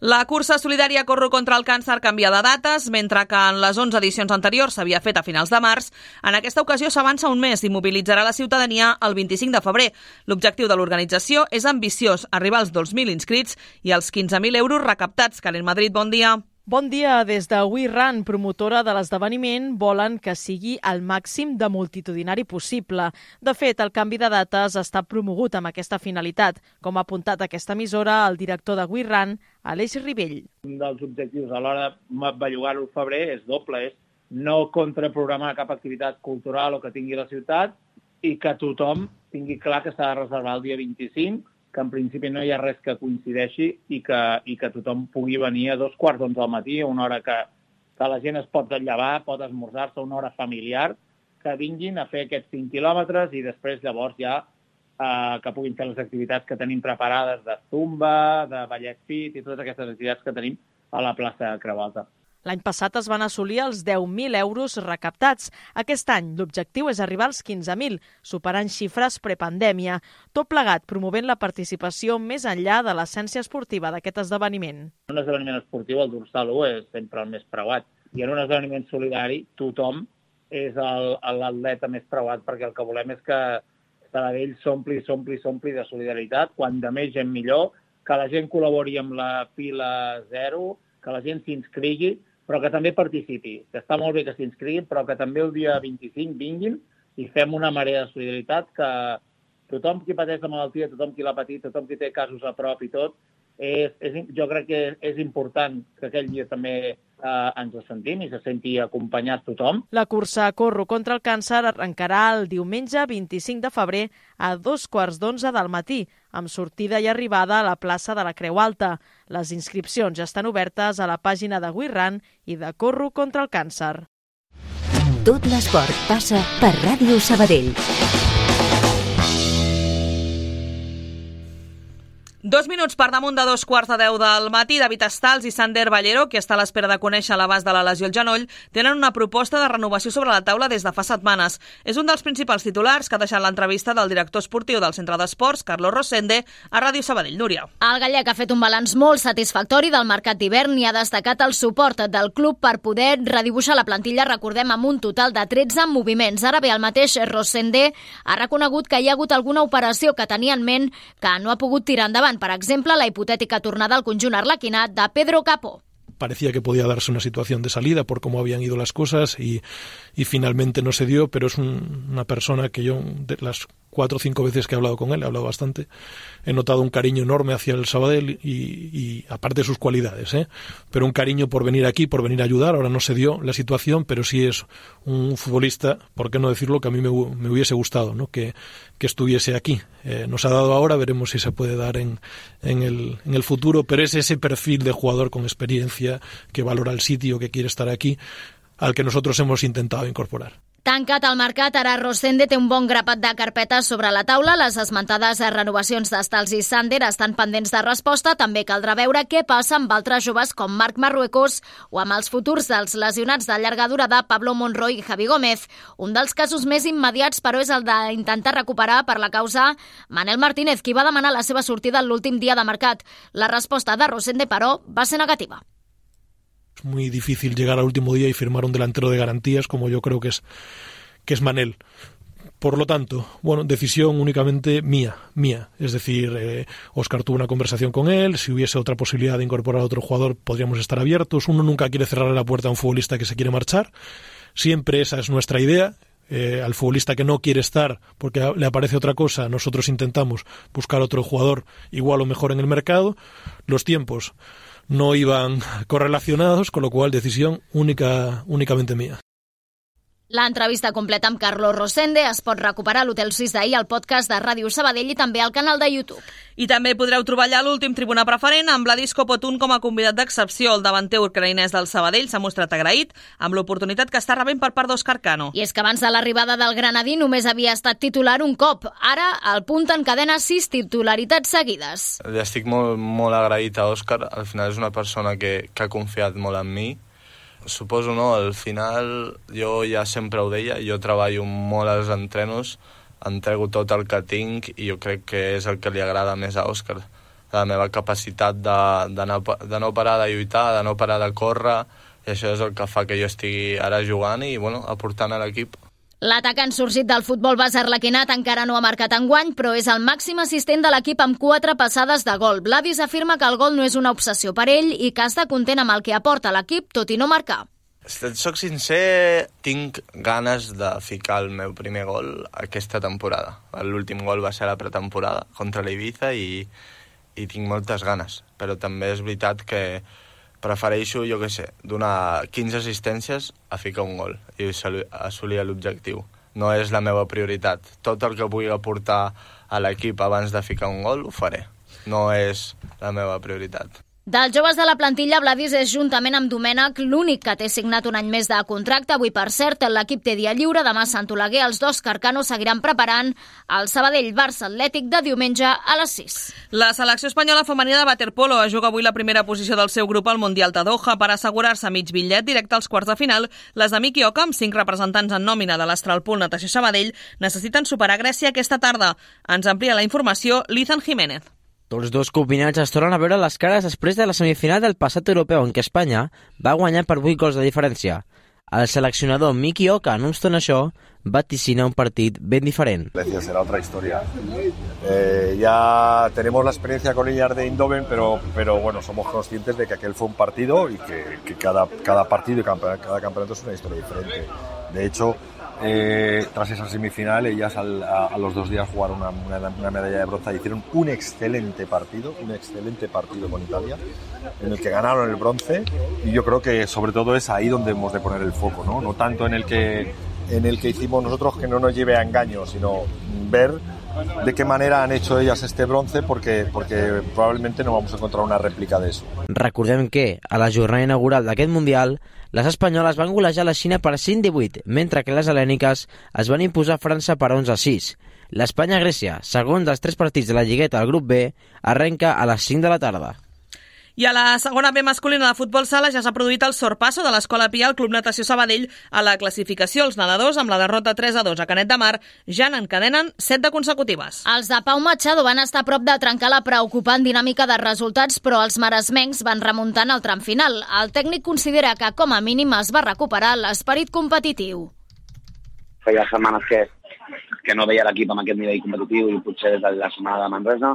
La cursa solidària Corro contra el càncer canvia de dates, mentre que en les onze edicions anteriors s'havia fet a finals de març. En aquesta ocasió s'avança un mes i mobilitzarà la ciutadania el vint-i-cinc de febrer. L'objectiu de l'organització és ambiciós, arribar als dos mil inscrits i als quinze mil euros recaptats. Karen Madrid, bon dia. Bon dia. Des de We Run, promotora de l'esdeveniment, volen que sigui el màxim de multitudinari possible. De fet, el canvi de dates està promogut amb aquesta finalitat, com ha apuntat aquesta emissora el director de We Run, Aleix Ribell. Un dels objectius a l'hora de bellugar-ho al febrer és doble, és no contraprogramar cap activitat cultural o que tingui la ciutat i que tothom tingui clar que s'ha de reservar el dia vint-i-cinc, que en principi no hi ha res que coincideixi i que, i que tothom pugui venir a dos quarts d'onze al matí, una hora que, que la gent es pot llevar, pot esmorzar-se, una hora familiar, que vinguin a fer aquests cinc quilòmetres i després llavors ja eh, que puguin fer les activitats que tenim preparades de zumba, de ballet fit i totes aquestes activitats que tenim a la plaça de Creu Alta. L'any passat es van assolir els deu mil euros recaptats. Aquest any l'objectiu és arribar als quinze mil, superant xifres prepandèmia, tot plegat promovent la participació més enllà de l'essència esportiva d'aquest esdeveniment. En un esdeveniment esportiu el dorsal u és sempre el més preuat i en un esdeveniment solidari tothom és l'atleta més preuat perquè el que volem és que Sabadell s'ompli, s'ompli, s'ompli de solidaritat, quan de més gent millor, que la gent col·labori amb la fila zero, que la gent s'inscrigui, però que també participi. Que està molt bé que s'inscriguin, però que també el dia vint-i-cinc vinguin i fem una marea de solidaritat que tothom qui pateix la malaltia, tothom qui l'ha patit, tothom qui té casos a prop i tot, és, és, jo crec que és important que aquell dia també eh, ens ho sentim i se senti acompanyat tothom. La cursa Corro contra el càncer arrencarà el diumenge vint-i-cinc de febrer a dos quarts d'onze del matí, amb sortida i arribada a la plaça de la Creu Alta. Les inscripcions ja estan obertes a la pàgina de We Run i de Corro contra el càncer. Tot l'esport passa per Ràdio Sabadell. Dos minuts per damunt de dos quarts de deu del matí. David Estals i Sander Ballero, que està a l'espera de conèixer l'abast de la lesió al genoll, tenen una proposta de renovació sobre la taula des de fa setmanes. És un dels principals titulars que ha deixat l'entrevista del director esportiu del Centre d'Esports, Carlos Rosende, a Ràdio Sabadell. Núria. El gallec ha fet un balanç molt satisfactori del mercat d'hivern i ha destacat el suport del club per poder redibuixar la plantilla, recordem, amb un total de tretze moviments. Ara bé, el mateix Rosende ha reconegut que hi ha hagut alguna operació que tenia en ment que no ha pogut tirar endavant. Per exemple, la hipotètica tornada al conjunt arlequinat de Pedro Capó. Parecía que podía darse una situación de salida por cómo habían ido las cosas y, y finalmente no se dio, pero es un, una persona que yo, de las cuatro o cinco veces que he hablado con él, he hablado bastante, he notado un cariño enorme hacia el Sabadell y, y aparte de sus cualidades, ¿eh? pero un cariño por venir aquí, por venir a ayudar. Ahora no se dio la situación, pero sí es un futbolista, por qué no decirlo, que a mí me, me hubiese gustado, ¿no? que, que estuviese aquí. Eh, nos ha dado ahora, veremos si se puede dar en, en, el, en el futuro, pero es ese perfil de jugador con experiencia, que valora el sitio, que quiere estar aquí, al que nosotros hemos intentado incorporar. Tancat el mercat, ara Rosende té un bon grapat de carpetes sobre la taula. Les esmentades renovacions d'Estals i Sander estan pendents de resposta. També caldrà veure què passa amb altres joves com Marc Marruecos o amb els futurs dels lesionats de llarga durada Pablo Monroy i Javi Gómez. Un dels casos més immediats, però, és el d'intentar recuperar per la causa Manel Martínez, qui va demanar la seva sortida l'últim dia de mercat. La resposta de Rosende, però, va ser negativa. Es muy difícil llegar al último día y firmar un delantero de garantías, como yo creo que es que es Manel. Por lo tanto, bueno, decisión únicamente mía, mía. Es decir, eh, Óscar tuvo una conversación con él, si hubiese otra posibilidad de incorporar a otro jugador podríamos estar abiertos. Uno nunca quiere cerrarle la puerta a un futbolista que se quiere marchar. Siempre esa es nuestra idea. Eh, al futbolista que no quiere estar porque le aparece otra cosa, nosotros intentamos buscar otro jugador igual o mejor en el mercado. Los tiempos no iban correlacionados, con lo cual decisión única, únicamente mía. L'entrevista completa amb Carlos Rosende es pot recuperar a l'Hotel Sis d'ahir, al podcast de Ràdio Sabadell i també al canal de YouTube. I també podreu trobar allà l'últim tribuna preferent amb Vladis Kopotun com a convidat d'excepció. El davanter ucraïnès del Sabadell s'ha mostrat agraït amb l'oportunitat que està rebent per part d'Òscar Cano. I és que abans de l'arribada del granadí només havia estat titular un cop. Ara el punt encadena sis titularitats seguides. Li estic molt, molt agraït a Òscar. Al final és una persona que, que ha confiat molt en mi. Suposo, no? Al final, jo ja sempre ho deia, jo treballo molt als entrenos, entrego tot el que tinc i jo crec que és el que li agrada més a Òscar. La meva capacitat de, de, no, de no parar de lluitar, de no parar de córrer, i això és el que fa que jo estigui ara jugant i, bueno, aportant a l'equip. L'atacant sorgit del futbol base arlequinat encara no ha marcat enguany, però és el màxim assistent de l'equip amb quatre passades de gol. Vladis afirma que el gol no és una obsessió per ell i que està content amb el que aporta l'equip, tot i no marcar. Si et soc sincer, tinc ganes de ficar el meu primer gol aquesta temporada. L'últim gol va ser a la pretemporada contra l'Ibiza i, i tinc moltes ganes, però també és veritat que prefereixo, jo què sé, donar quinze assistències a ficar un gol i assolir l'objectiu. No és la meva prioritat. Tot el que pugui aportar a l'equip abans de ficar un gol ho faré. No és la meva prioritat. Dels joves de la plantilla, Vladis és, juntament amb Domènec, l'únic que té signat un any més de contracte. Avui, per cert, l'equip té dia lliure. Demà a Sant Oleguer, els dos Carcano seguiran preparant el Sabadell-Barça Atlètic de diumenge a les sis. La selecció espanyola femenina de waterpolo juga avui la primera posició del seu grup al Mundial de Doha per assegurar-se mig bitllet directe als quarts de final. Les de Miki Oka, amb cinc representants en nòmina de l'Astralpool Natació Sabadell, necessiten superar Grècia aquesta tarda. Ens amplia la informació Lizan Jiménez. Tots dos combinats es tornen a veure les cares després de la semifinal del passat europeu en què Espanya va guanyar per vuit gols de diferència. El seleccionador Miki Oka, no obstant això, vaticina un partit ben diferent. Grecia será otra historia. Eh, ya tenemos la experiencia con ellas de Eindhoven, pero, pero bueno, somos conscientes de que aquel fue un partido y que, que cada, cada partido y cada, cada campeonato es una historia diferente. De hecho, Eh, tras esa semifinal, ellas al, a, a los dos días jugaron una, una, una medalla de bronce y hicieron un excelente partido, un excelente partido con Italia, en el que ganaron el bronce, y yo creo que sobre todo es ahí donde hemos de poner el foco, ¿no? No tanto en el que, en el que hicimos nosotros, que no nos lleve a engaño, sino ver de qué manera han hecho ellas este bronce, porque, porque probablemente no vamos a encontrar una réplica de eso. Recordem que, a la jornada inaugural d'aquest Mundial, les espanyoles van golejar la Xina per cinc a vuit, mentre que les hel·lèniques es van imposar a França per onze a sis. L'Espanya-Grècia, segon dels tres partits de la lligueta al grup B, arrenca a les cinc de la tarda. I a la segona B masculina de futbol sala ja s'ha produït el sorpasso de l'Escola Pia al Club Natació Sabadell a la classificació. Els nedadors, amb la derrota tres a dos a Canet de Mar, ja n'encadenen set de consecutives. Els de Pau Machado van estar a prop de trencar la preocupant dinàmica de resultats, però els maresmencs van remuntant al tram final. El tècnic considera que, com a mínim, es va recuperar l'esperit competitiu. Feia setmanes que, que no veia l'equip amb aquest nivell competitiu i potser des de la setmana de Manresa,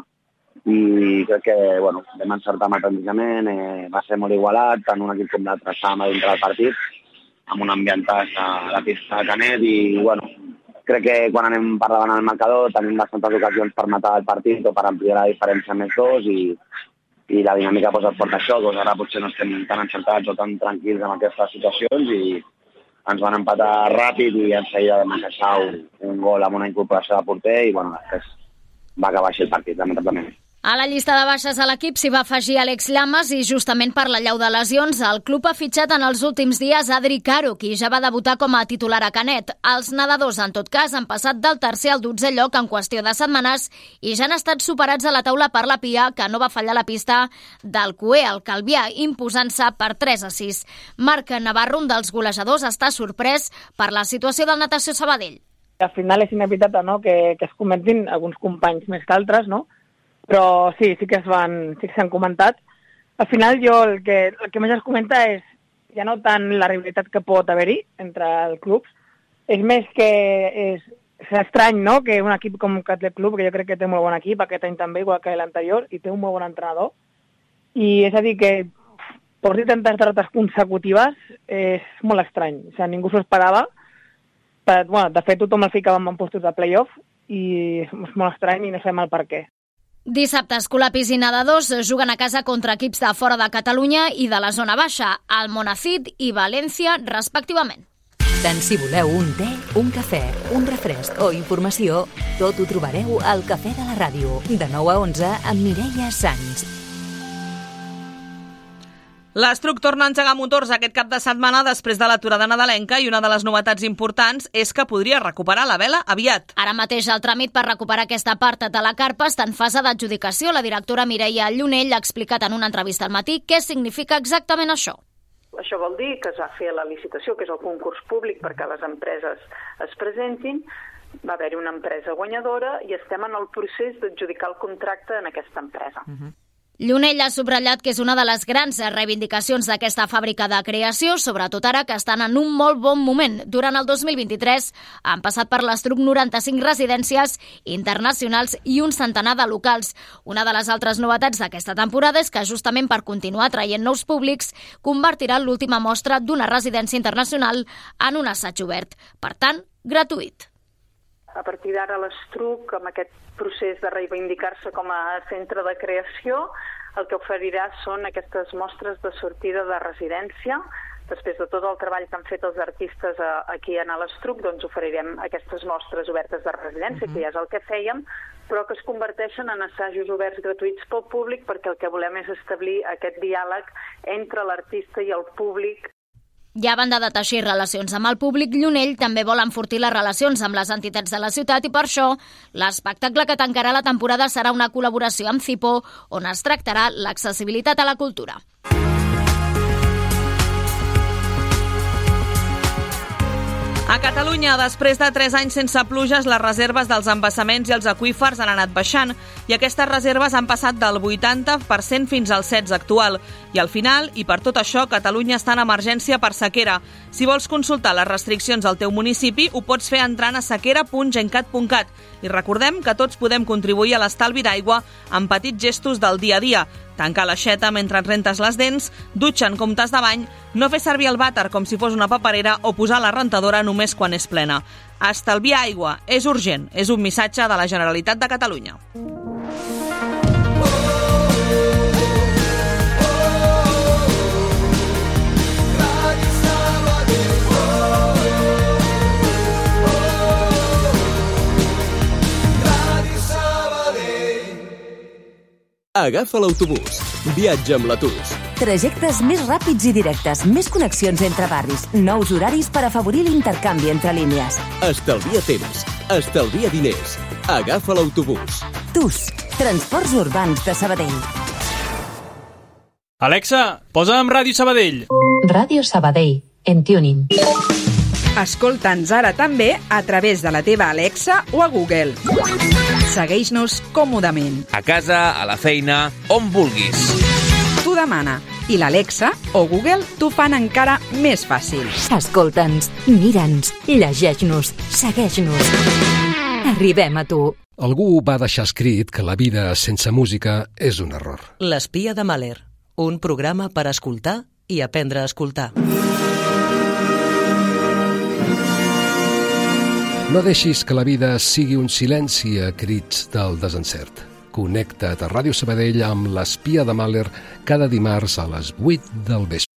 i crec que bueno, vam encertar matematicament, eh, va ser molt igualat, tant un equip com l'altre estàvem a dintre del partit, amb un ambientàs a la pista de Canet, i bueno, crec que quan anem per davant al marcador tenim bastantes ocasions per matar el partit o per ampliar la diferència més dos, i, i la dinàmica pues, et porta això, doncs ara potser no estem tan encertats o tan tranquils en aquestes situacions, i ens van empatar ràpid i en seguida vam encaixar un, un gol amb una incorporació de porter, i bueno, després va acabar així el partit, lamentablement. A la llista de baixes a l'equip s'hi va afegir Àlex Llamas i justament per la llau de lesions el club ha fitxat en els últims dies Adri Caro, qui ja va debutar com a titular a Canet. Els nedadors, en tot cas, han passat del tercer al dotzè lloc en qüestió de setmanes i ja han estat superats a la taula per la Pia, que no va fallar la pista del Cué, al Calvià, imposant-se per tres a sis. Marc Navarro, un dels golejadors, està sorprès per la situació del Natació Sabadell. Al final és inevitable, no?, que, que es comentin alguns companys més que altres, no?, però sí, sí que es van, sí que s'han comentat. Al final jo el que, el que més es comenta és ja no tant la rivalitat que pot haver-hi entre els clubs, és més que és, és estrany, no?, que un equip com Athletic Club, que jo crec que té molt bon equip, aquest any també, igual que l'anterior, i té un molt bon entrenador, i és a dir que porti tantes derrotes consecutives és molt estrany, o sigui, ningú s'ho esperava, però, bueno, de fet tothom el ficàvem en postos de play-off, i és molt estrany i no sabem el per què. Dissabte, Escolapis i Nedadors juguen a casa contra equips de fora de Catalunya i de la zona baixa, el Monacid i València, respectivament. Tant si voleu un te, un cafè, un refresc o informació, tot ho trobareu al Cafè de la Ràdio, de nou a onze amb Mireia Sans. L'Estruc torna a engegar motors aquest cap de setmana després de l'aturada nadalenca i una de les novetats importants és que podria recuperar la vela aviat. Ara mateix el tràmit per recuperar aquesta part de la carpa està en fase d'adjudicació. La directora Mireia Llunell ha explicat en una entrevista al matí què significa exactament això. Això vol dir que es va fer la licitació, que és el concurs públic perquè les empreses es presentin, va haver-hi una empresa guanyadora i estem en el procés d'adjudicar el contracte en aquesta empresa. Uh-huh. Llunell ha subratllat que és una de les grans reivindicacions d'aquesta fàbrica de creació, sobretot ara que estan en un molt bon moment. Durant el dos mil vint-i-tres han passat per l'Estruc noranta-cinc residències internacionals i un centenar de locals. Una de les altres novetats d'aquesta temporada és que, justament per continuar traient nous públics, convertirà l'última mostra d'una residència internacional en un assaig obert. Per tant, gratuït. A partir d'ara l'Estruc, amb aquest procés de reivindicar-se com a centre de creació, el que oferirà són aquestes mostres de sortida de residència. Després de tot el treball que han fet els artistes aquí a l'Estruc, doncs oferirem aquestes mostres obertes de residència, uh-huh. que ja és el que fèiem, però que es converteixen en assajos oberts gratuïts pel públic, perquè el que volem és establir aquest diàleg entre l'artista i el públic. Ja a banda de teixir relacions amb el públic, Llunell també vol enfortir les relacions amb les entitats de la ciutat i per això l'espectacle que tancarà la temporada serà una col·laboració amb Cipo, on es tractarà l'accessibilitat a la cultura. A Catalunya, després de tres anys sense pluges, les reserves dels embassaments i els aqüífers han anat baixant i aquestes reserves han passat del vuitanta per cent fins al setze per cent actual. I al final, i per tot això, Catalunya està en emergència per sequera. Si vols consultar les restriccions al teu municipi, ho pots fer entrant a sequera punt gencat punt cat. I recordem que tots podem contribuir a l'estalvi d'aigua amb petits gestos del dia a dia. Tancar l'aixeta mentre et rentes les dents, dutxa en comptes de bany, no fer servir el vàter com si fos una paperera o posar la rentadora només quan és plena. Estalviar aigua és urgent, és un missatge de la Generalitat de Catalunya. Agafa l'autobús. Viatja amb l'Atus. Trajectes més ràpids i directes, més connexions entre barris, nous horaris per afavorir l'intercanvi entre línies. Estalvia temps, estalvia diners. Agafa l'autobús. Tus, Transports Urbans de Sabadell. Alexa, posa'm Ràdio Sabadell. Ràdio Sabadell, en tuning. Escolta'ns ara també a través de la teva Alexa o a Google. Segueix-nos còmodament. A casa, a la feina, on vulguis. T'ho demana i l'Alexa o Google t'ho fan encara més fàcil. Escolta'ns, mira'ns, llegeix-nos, segueix-nos. Arribem a tu. Algú va deixar escrit que la vida sense música és un error. L'espia de Mahler, un programa per escoltar i aprendre a escoltar. No deixis que la vida sigui un silenci a crits del desencert. Connecta't a Ràdio Sabadell amb l'Espia de Mahler cada dimarts a les vuit del vespre.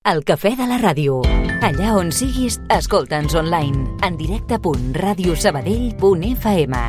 El Cafè de la Ràdio. Allà on siguis, escolta'ns online. En directe punt radiosabadell punt f m.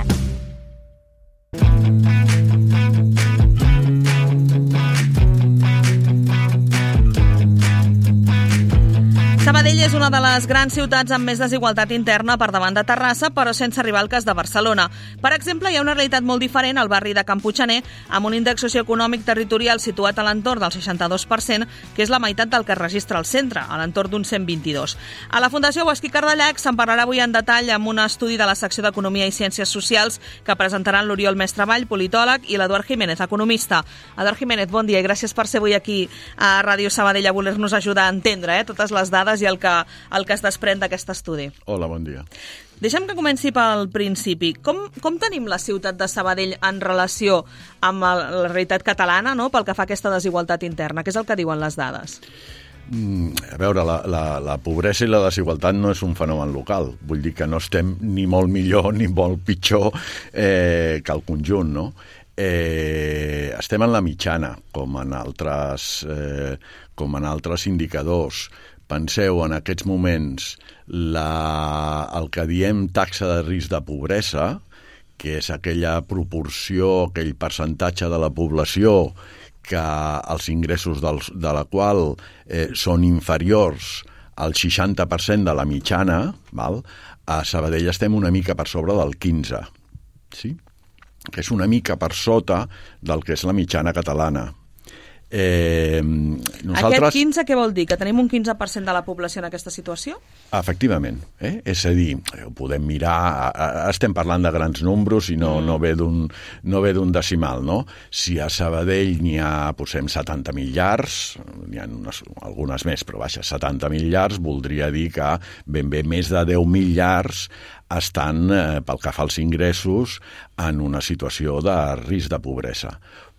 Sabadell Sabadell és una de les grans ciutats amb més desigualtat interna per davant de Terrassa, però sense arribar al cas de Barcelona. Per exemple, hi ha una realitat molt diferent al barri de Can Puiggener, amb un índex socioeconòmic territorial situat a l'entorn del seixanta-dos per cent, que és la meitat del que es registra al centre, a l'entorn d'un cent vint-i-dos. A la Fundació Bosch i Cardellac se'n parlarà avui en detall amb un estudi de la secció d'Economia i Ciències Socials que presentaran l'Oriol Mestravall, politòleg, i l'Eduard Jiménez, economista. Eduard Jiménez, bon dia i gràcies per ser avui aquí a Ràdio Sabadell a voler-nos ajudar a entendre eh, totes les dades i el que, el que es desprèn d'aquest estudi. Hola, bon dia. Deixa'm que comenci pel principi. Com, com tenim la ciutat de Sabadell en relació amb el, la realitat catalana, no?, pel que fa a aquesta desigualtat interna? Què és el que diuen les dades? Mm, a veure, la, la, la pobresa i la desigualtat no és un fenomen local. Vull dir que no estem ni molt millor ni molt pitjor eh, que el conjunt, no? Eh, estem en la mitjana, com en altres, eh, com en altres indicadors. Penseu, en aquests moments, la, el que diem taxa de risc de pobresa, que és aquella proporció, aquell percentatge de la població que els ingressos dels, de la qual eh, són inferiors al seixanta per cent de la mitjana, val? A Sabadell estem una mica per sobre del quinze, sí? Que és una mica per sota del que és la mitjana catalana. Eh, nosaltres... Aquest quinze què vol dir? Que tenim un quinze per cent de la població en aquesta situació? Efectivament. Eh? És a dir, ho podem mirar, estem parlant de grans números i no, no ve d'un no ve d'un decimal, no? Si a Sabadell n'hi ha, posem, setanta mil llars, n'hi ha unes, algunes més, però vaja, setanta mil llars, voldria dir que ben bé més de deu mil llars estan, eh, pel que fa als ingressos, en una situació de risc de pobresa.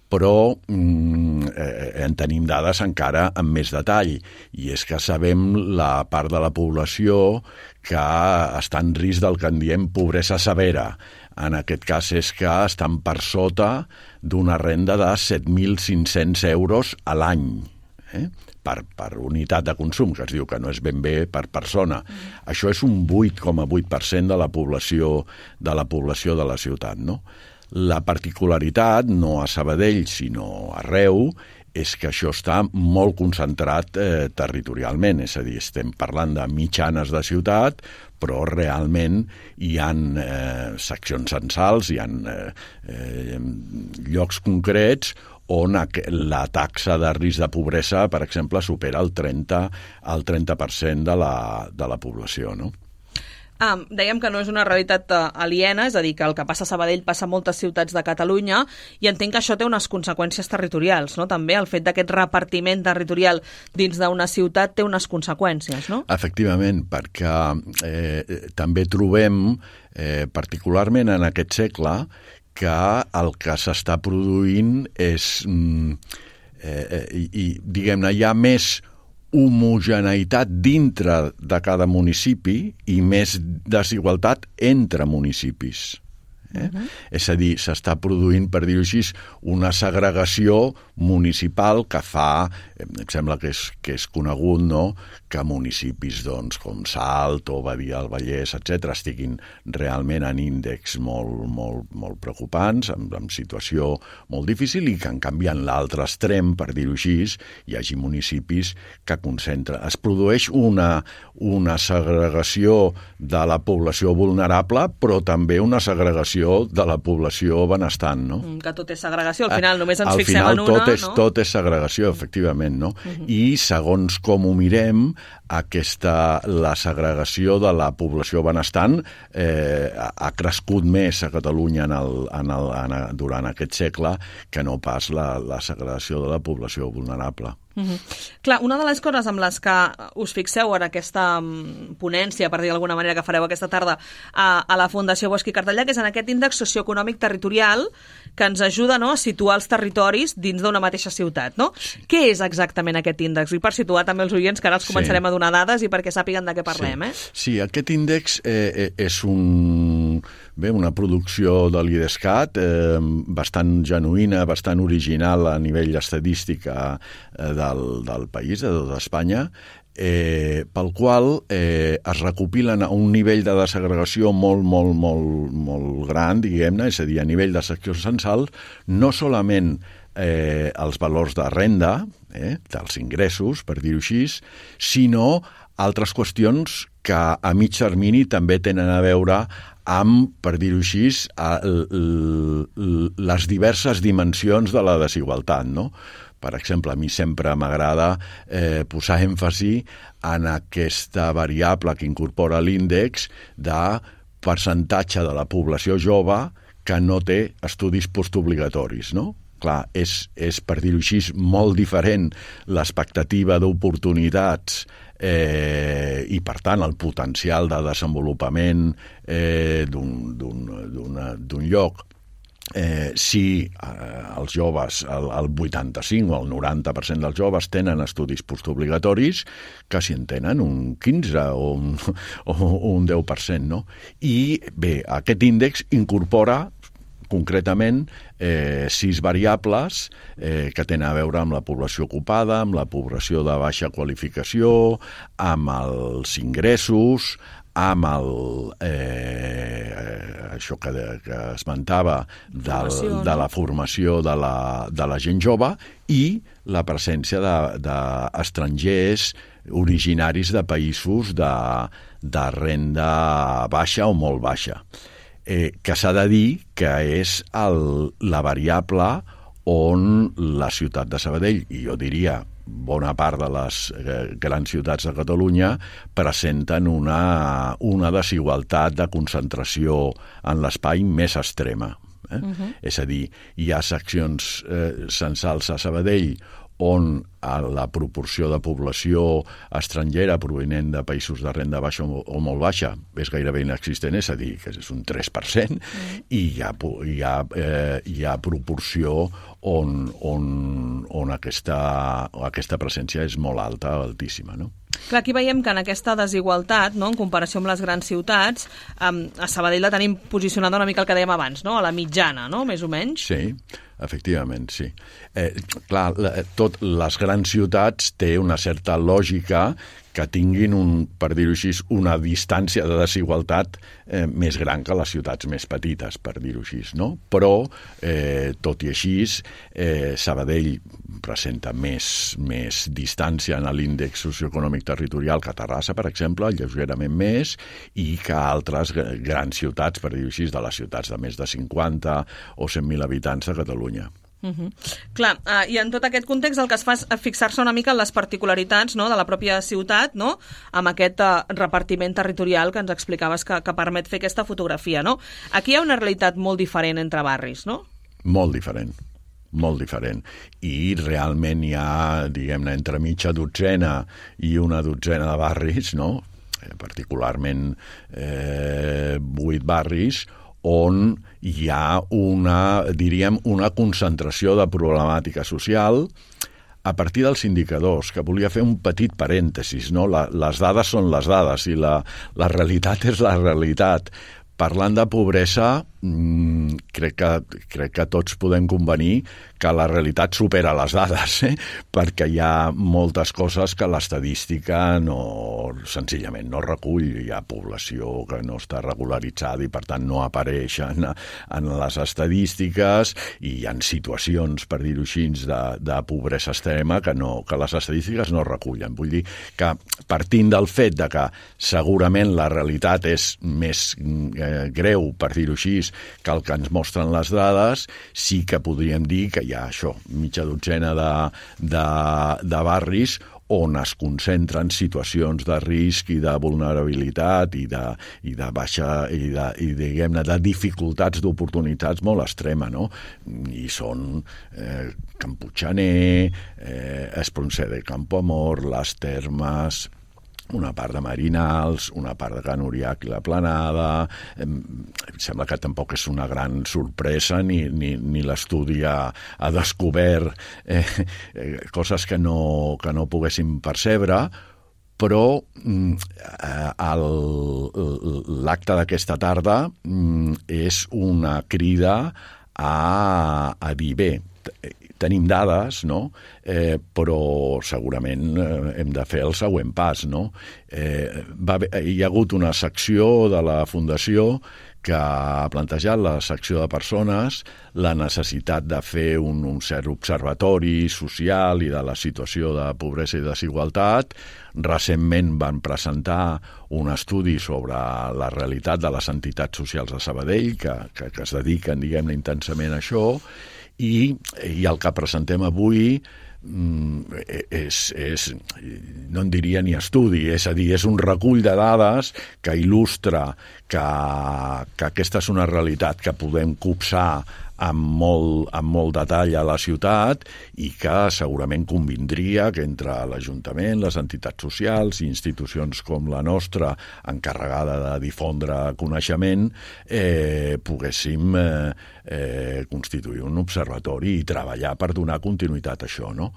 Però mm, eh, en tenim dades encara amb més detall, i és que sabem la part de la població que està en risc del que en diem pobresa severa. En aquest cas és que estan per sota d'una renda de set mil cinc-cents euros a l'any, eh? per, per unitat de consum, que es diu que no és ben bé per persona. Mm. Això és un vuit coma vuit per cent de la població de la població de la ciutat, no? La particularitat, no a Sabadell, sinó arreu, és que això està molt concentrat eh, territorialment, és a dir, estem parlant de mitjanes de ciutat, però realment hi ha eh, seccions censals, hi ha eh, eh, llocs concrets on la taxa de risc de pobresa, per exemple, supera el trenta, el trenta per cent de la, de la població, no? Ah, dèiem que no és una realitat aliena, és a dir, que el que passa a Sabadell passa a moltes ciutats de Catalunya, i entenc que això té unes conseqüències territorials, no? També el fet d'aquest repartiment territorial dins d'una ciutat té unes conseqüències, no? Efectivament, perquè eh, també trobem, eh, particularment en aquest segle, que el que s'està produint és, eh, i, i diguem-ne, hi ha més homogeneïtat dintre de cada municipi i més desigualtat entre municipis. Eh? Uh-huh. És a dir, s'està produint, per dir-ho així, una segregació municipal que fa, em sembla que és, que és conegut, no?, que municipis doncs, com Salt o Badia del Vallès, etcètera, estiguin realment en índexs molt, molt, molt preocupants, amb, amb situació molt difícil, i que en canvi en l'altre extrem, per dir-ho així, hi hagi municipis que concentren. Es produeix una, una segregació de la població vulnerable, però també una segregació de la població benestant, no? Que tot és segregació, al final només ens al fixem final, en una, tot és, no? Tot és segregació, efectivament, no? Uh-huh. I segons com ho mirem, aquesta, la segregació de la població benestant eh, ha crescut més a Catalunya en el, en el, en el, durant aquest segle que no pas la, la segregació de la població vulnerable. Uh-huh. Clar, una de les coses amb les que us fixeu en aquesta um, ponència, per dir d'alguna manera, que fareu aquesta tarda a, a la Fundació Bosch i Cardellac, és en aquest índex socioeconòmic territorial que ens ajuda, no?, a situar els territoris dins d'una mateixa ciutat, no? Sí. Què és exactament aquest índex? I per situar també els oients, que ara els començarem sí. a donar dades i perquè sàpiguen de què parlem, sí. eh? Sí, aquest índex eh, és un, bé, una producció de l'IDESCAT eh, bastant genuïna, bastant original a nivell estadística eh, del, del país, de tot Espanya, eh, pel qual eh, es recopilen a un nivell de desagregació molt, molt, molt, molt gran, diguem-ne, és a dir, a nivell de secció censal, no solament eh, els valors de renda, eh, dels ingressos, per dir-ho així, sinó altres qüestions que a mig termini també tenen a veure amb, per dir-ho així, les diverses dimensions de la desigualtat, no? Per exemple, a mi sempre m'agrada eh, posar èmfasi en aquesta variable que incorpora l'índex de percentatge de la població jove que no té estudis postobligatoris, no? Clar, és, és per dir-ho així, molt diferent l'expectativa d'oportunitats eh, i, per tant, el potencial de desenvolupament eh, d'un lloc. Eh, si eh, els joves, el, el vuitanta-cinc o el noranta per cent dels joves tenen estudis postobligatoris, que si en tenen un quinze o un, o un deu per cent, no? I bé, aquest índex incorpora concretament eh, sis variables eh, que tenen a veure amb la població ocupada, amb la població de baixa qualificació, amb els ingressos, amb el, eh, això que, que esmentava del, Formació, de no? la formació de la, de la gent jove i la presència d'estrangers de, originaris de països de, de renda baixa o molt baixa. Eh, que s'ha de dir que és el, la variable on la ciutat de Sabadell, i jo diria bona part de les eh, grans ciutats de Catalunya, presenten una, una desigualtat de concentració en l'espai més extrema. Eh? Uh-huh. És a dir, hi ha seccions eh, censals a Sabadell on a la proporció de població estrangera provinent de països de renda baixa o, o molt baixa és gairebé inexistent, és a dir, que és un tres per cent, mm. i hi ha, hi ha, eh, hi ha proporció on, on, on aquesta, aquesta presència és molt alta, altíssima, no? Clar, aquí veiem que en aquesta desigualtat, no, en comparació amb les grans ciutats, um, a Sabadell la tenim posicionada una mica el que dèiem abans, no? A la mitjana, no? Més o menys. Sí, efectivament, sí. Eh, clar, la, tot les grans ciutats té una certa lògica que tinguin, un, per dir-ho així, una distància de desigualtat eh, més gran que les ciutats més petites, per dir-ho així, no? Però, eh, tot i així, eh, Sabadell presenta més, més distància en l'índex socioeconòmic territorial que Terrassa, per exemple, lleugerament més, i que altres grans ciutats, per dir-ho així, de les ciutats de més de cinquanta o cent mil habitants de Catalunya. Uh-huh. Clar, uh, i en tot aquest context el que es fa és fixar-se una mica en les particularitats, no, de la pròpia ciutat, no, amb aquest uh, repartiment territorial que ens explicaves que, que permet fer aquesta fotografia, no? Aquí hi ha una realitat molt diferent entre barris, no? Molt diferent, molt diferent. I realment hi ha, diguem-ne, entre mitja dotzena i una dotzena de barris, no? Eh, particularment eh, vuit barris, on hi ha una, diríem, una concentració de problemàtica social a partir dels indicadors, que volia fer un petit parèntesis, no? La, les dades són les dades i la, la realitat és la realitat. Parlant de pobresa, mmm, crec, que, crec que tots podem convenir que la realitat supera les dades, eh? Perquè hi ha moltes coses que l'estadística no, senzillament no recull. Hi ha població que no està regularitzada i per tant no apareix en, en les estadístiques, i hi ha situacions, per dir-ho així, de, de pobresa extrema que, no, que les estadístiques no recullen. Vull dir que partint del fet de que segurament la realitat és més eh, greu, per dir-ho així, que el que ens mostren les dades, sí que podríem dir que hi ha això, mitja dotzena de, de, de barris on es concentren situacions de risc i de vulnerabilitat i de, i de baixa i, de, i diguem-ne, de dificultats d'oportunitats molt extrema, no? I són eh, Camputxaner, eh, Espronceda de Campoamor, les Termes, una part de Marinals, una part de Can Uriac i la Planada. Em sembla que tampoc és una gran sorpresa, ni, ni, ni l'estudi ha, ha descobert eh, eh, coses que no, que no poguéssim percebre, però eh, l'acte d'aquesta tarda és una crida a, a dir, bé, tenim dades, no? Eh, però segurament eh, hem de fer el següent pas, no? Eh, va haver, hi ha hagut una secció de la Fundació que ha plantejat la secció de persones la necessitat de fer un, un cert observatori social i de la situació de pobresa i desigualtat. Recentment van presentar un estudi sobre la realitat de les entitats socials de Sabadell que, que, que es dediquen, diguem-ne, intensament a això, i, i el que presentem avui és, és, no en diria ni estudi, és a dir, és un recull de dades que il·lustra que, que aquesta és una realitat que podem copsar amb molt, amb molt detall a la ciutat i que segurament convindria que entre l'Ajuntament, les entitats socials i institucions com la nostra, encarregada de difondre coneixement, eh, poguéssim eh, eh, constituir un observatori i treballar per donar continuïtat a això, no?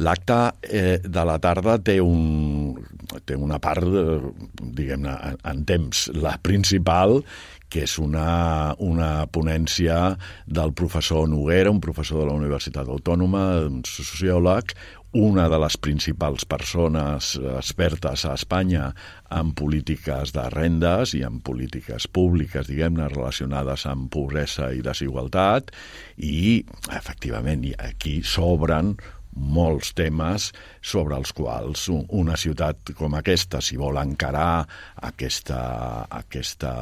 L'acte eh, de la tarda té, un, té una part, eh, diguem-ne, en, en temps, la principal, que és una, una ponència del professor Noguera, un professor de la Universitat Autònoma, un sociòleg, una de les principals persones expertes a Espanya en polítiques de rendes i en polítiques públiques, diguem-ne, relacionades amb pobresa i desigualtat, i, efectivament, aquí s'obren molts temes sobre els quals una ciutat com aquesta, si vol encarar aquesta, aquesta,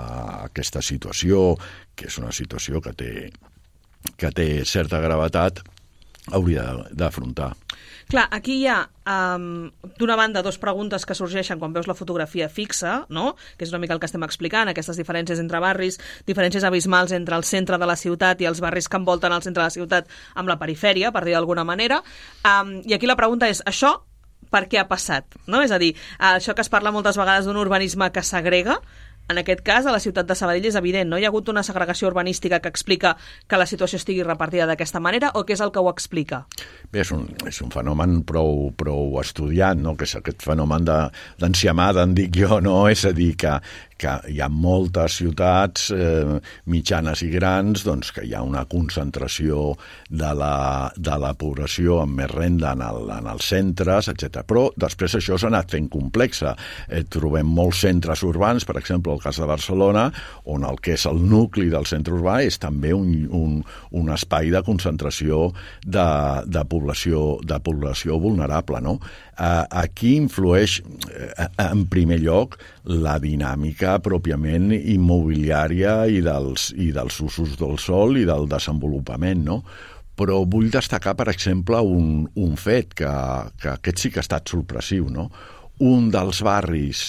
aquesta situació, que és una situació que té, que té certa gravetat, hauria d'afrontar. Clar, aquí hi ha, um, d'una banda, dos preguntes que sorgeixen quan veus la fotografia fixa, no? Que és una mica el que estem explicant, aquestes diferències entre barris, diferències abismals entre el centre de la ciutat i els barris que envolten el centre de la ciutat amb la perifèria, per dir d'alguna manera. Um, I aquí la pregunta és, això per què ha passat? No? És a dir, això que es parla moltes vegades d'un urbanisme que segrega, en aquest cas, a la ciutat de Sabadell és evident, no? Hi ha hagut una segregació urbanística que explica que la situació estigui repartida d'aquesta manera, o què és el que ho explica? Bé, és un, és un fenomen prou, prou estudiat, no? Que és aquest fenomen d'enciamada, en dic jo, no? És a dir, que, que hi ha moltes ciutats eh, mitjanes i grans doncs, que hi ha una concentració de la, de la població amb més renda en, el, en els centres, etcètera. Però després això s'ha anat fent complexa. Eh, trobem molts centres urbans, per exemple, el cas de Barcelona, on el que és el nucli del centre urbà és també un, un, un espai de concentració de, de, població, de població vulnerable, no? Eh, aquí influeix, eh, en primer lloc, la dinàmica pròpiament immobiliària i dels, i dels usos del sòl i del desenvolupament, no? Però vull destacar, per exemple, un, un fet que, que aquest sí que ha estat sorpressiu, no? Un dels barris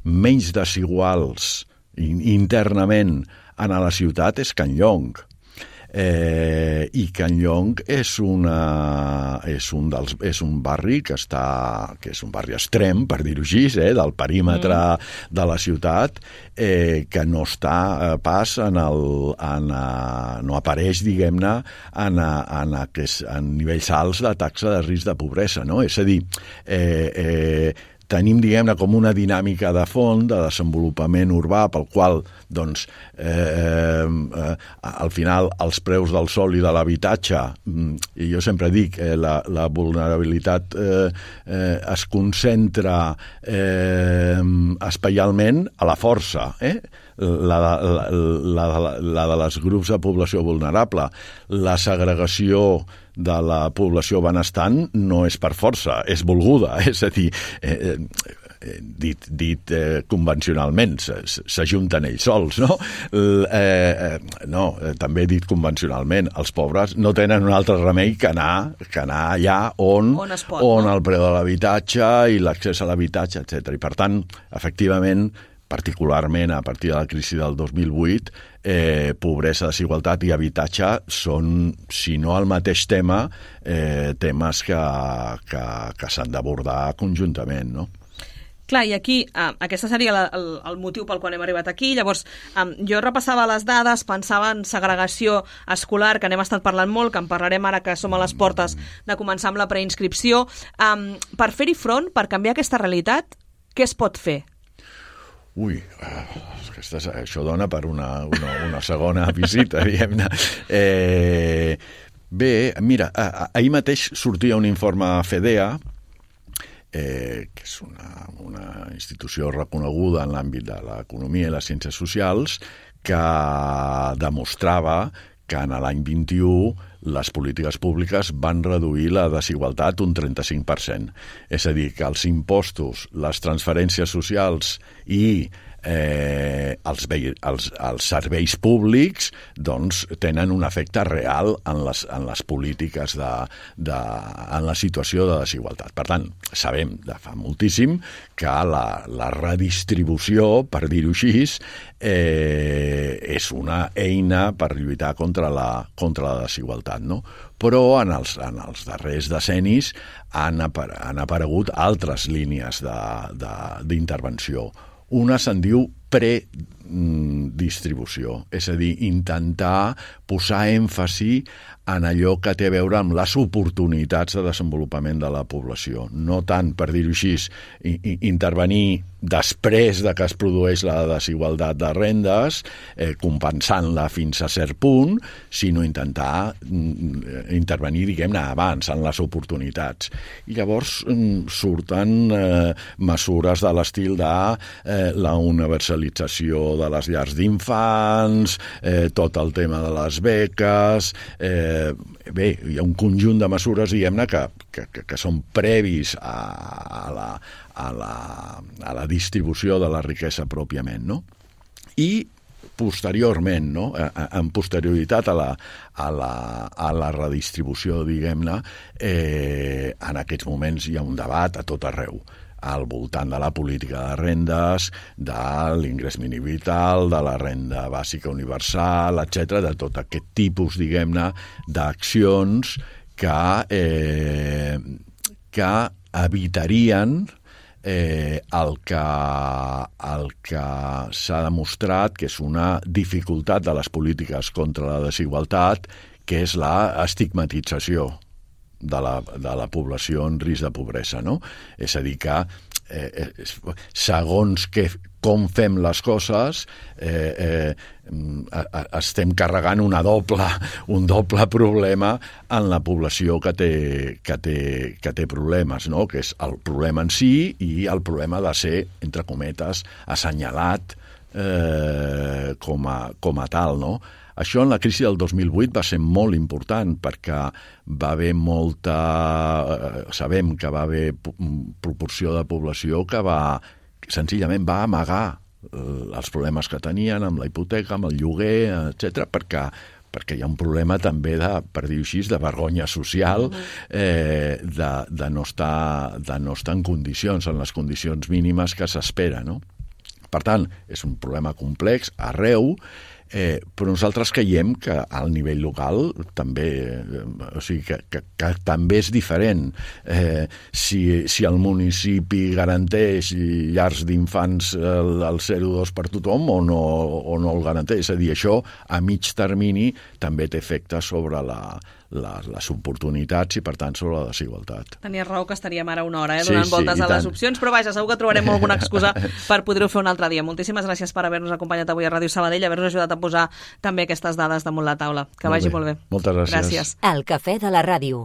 menys desiguals internament en la ciutat és Can Llong. Eh, I Can Llong és, una, és, un dels, és un barri que està, que és un barri extrem, per dir-ho així, eh, del perímetre mm. de la ciutat, eh, que no està eh, pas en el, en, a, no apareix, diguem-ne, en, a, en, a, en nivells alts de taxa de risc de pobresa, no? És a dir, eh, eh, tenim, diguem-ne, com una dinàmica de fons, de desenvolupament urbà, pel qual, doncs, eh, eh, al final, els preus del sòl i de l'habitatge, i jo sempre dic, eh, la, la vulnerabilitat eh, eh, es concentra eh, espaialment a la força, eh? La, la, la, la, la de les grups de població vulnerable. La segregació de la població benestant no és per força, és volguda, és a dir, eh, eh, dit, dit eh, convencionalment, s'ajunten ells sols, no? Eh, eh, no, eh, també dit convencionalment, els pobres no tenen un altre remei que anar, que anar allà on, on, pot, on no? el preu de l'habitatge i l'accés a l'habitatge, etcètera. I per tant, efectivament, particularment a partir de la crisi del dos mil vuit, eh, pobresa, desigualtat i habitatge són, si no el mateix tema, eh, temes que, que, que s'han d'abordar conjuntament, no? Clar, i aquí, eh, aquesta seria la, el, el motiu pel qual hem arribat aquí. Llavors, eh, jo repassava les dades, pensava en segregació escolar, que n'hem estat parlant molt, que en parlarem ara que som a les portes de començar amb la preinscripció. Eh, per fer-hi front, per canviar aquesta realitat, què es pot fer? Ui, aquesta, això dona per una, una, una segona visita, diguem-ne. Eh, bé, mira, ahir mateix sortia un informe FEDEA, eh, que és una, una institució reconeguda en l'àmbit de l'economia i les ciències socials, que demostrava que en l'any vint-i-u les polítiques públiques van reduir la desigualtat un trenta-cinc per cent. És a dir, que els impostos, les transferències socials i eh, els, els, els serveis públics doncs, tenen un efecte real en les, en les polítiques, de, de, en la situació de desigualtat. Per tant, sabem de fa moltíssim que la, la redistribució, per dir-ho així, eh, és una eina per lluitar contra la, contra la desigualtat, no? Però en els, en els darrers decennis han, apar han aparegut altres línies d'intervenció. Una se'n diu predistribució, és a dir, intentar posar èmfasi en allò que té a veure amb les oportunitats de desenvolupament de la població. No tant, per dir-ho així, intervenir després de que es produeix la desigualtat de rendes, eh, compensant-la fins a cert punt, sinó intentar mm, intervenir, diguem-ne, abans, en les oportunitats. I llavors mm, surten eh, mesures de l'estil de eh, la universalització de les llars d'infants, eh, tot el tema de les beques... Eh, bé, hi ha un conjunt de mesures, diguem-ne, que, que, que són previs a, a, la, a, la, a la distribució de la riquesa pròpiament, no? I posteriorment, no? En posterioritat a la, a la, a la redistribució, diguem-ne, eh, en aquests moments hi ha un debat a tot arreu, al voltant de la política de rendes, de l'ingrés mínim vital, de la renda bàsica universal, etcètera, de tot aquest tipus, diguem-ne, d'accions que, eh, que evitarien eh, el que, el que s'ha demostrat que és una dificultat de les polítiques contra la desigualtat, que és la estigmatització de la, de la població en risc de pobresa, no? És a dir, que eh, segons que, com fem les coses, eh, eh, estem carregant una doble, un doble problema en la població que té, que té, que té problemes, no? Que és el problema en si i el problema de ser, entre cometes, assenyalat eh, com, a, com a tal, no? Això en la crisi del dos mil vuit va ser molt important perquè va haver molta... Sabem que va haver proporció de població que va senzillament va amagar els problemes que tenien amb la hipoteca, amb el lloguer, etcètera, perquè perquè hi ha un problema també de, per dir-ho així, de vergonya social, eh, de, de, no estar, de no estar en condicions, en les condicions mínimes que s'espera, no? Per tant, és un problema complex arreu, Eh, però nosaltres creiem que al nivell local també, eh, o sigui, que, que, que també és diferent. Eh, si, si el municipi garanteix llars d'infants al, al zero coma dos per tothom o no, o no el garanteix. És a dir, això a mig termini també té efecte sobre la, la, les oportunitats i, per tant, sobre la desigualtat. Tenies raó que estaríem ara una hora eh, donant sí, sí, voltes a les tant. opcions, però vaja, segur que trobarem alguna excusa per poder-ho fer un altre dia. Moltíssimes gràcies per haver-nos acompanyat avui a Ràdio Sabadell, haver-nos ajudat a posar també aquestes dades damunt la taula. Que molt vagi bé. molt bé. Moltes gràcies. Gràcies. El cafè de la ràdio.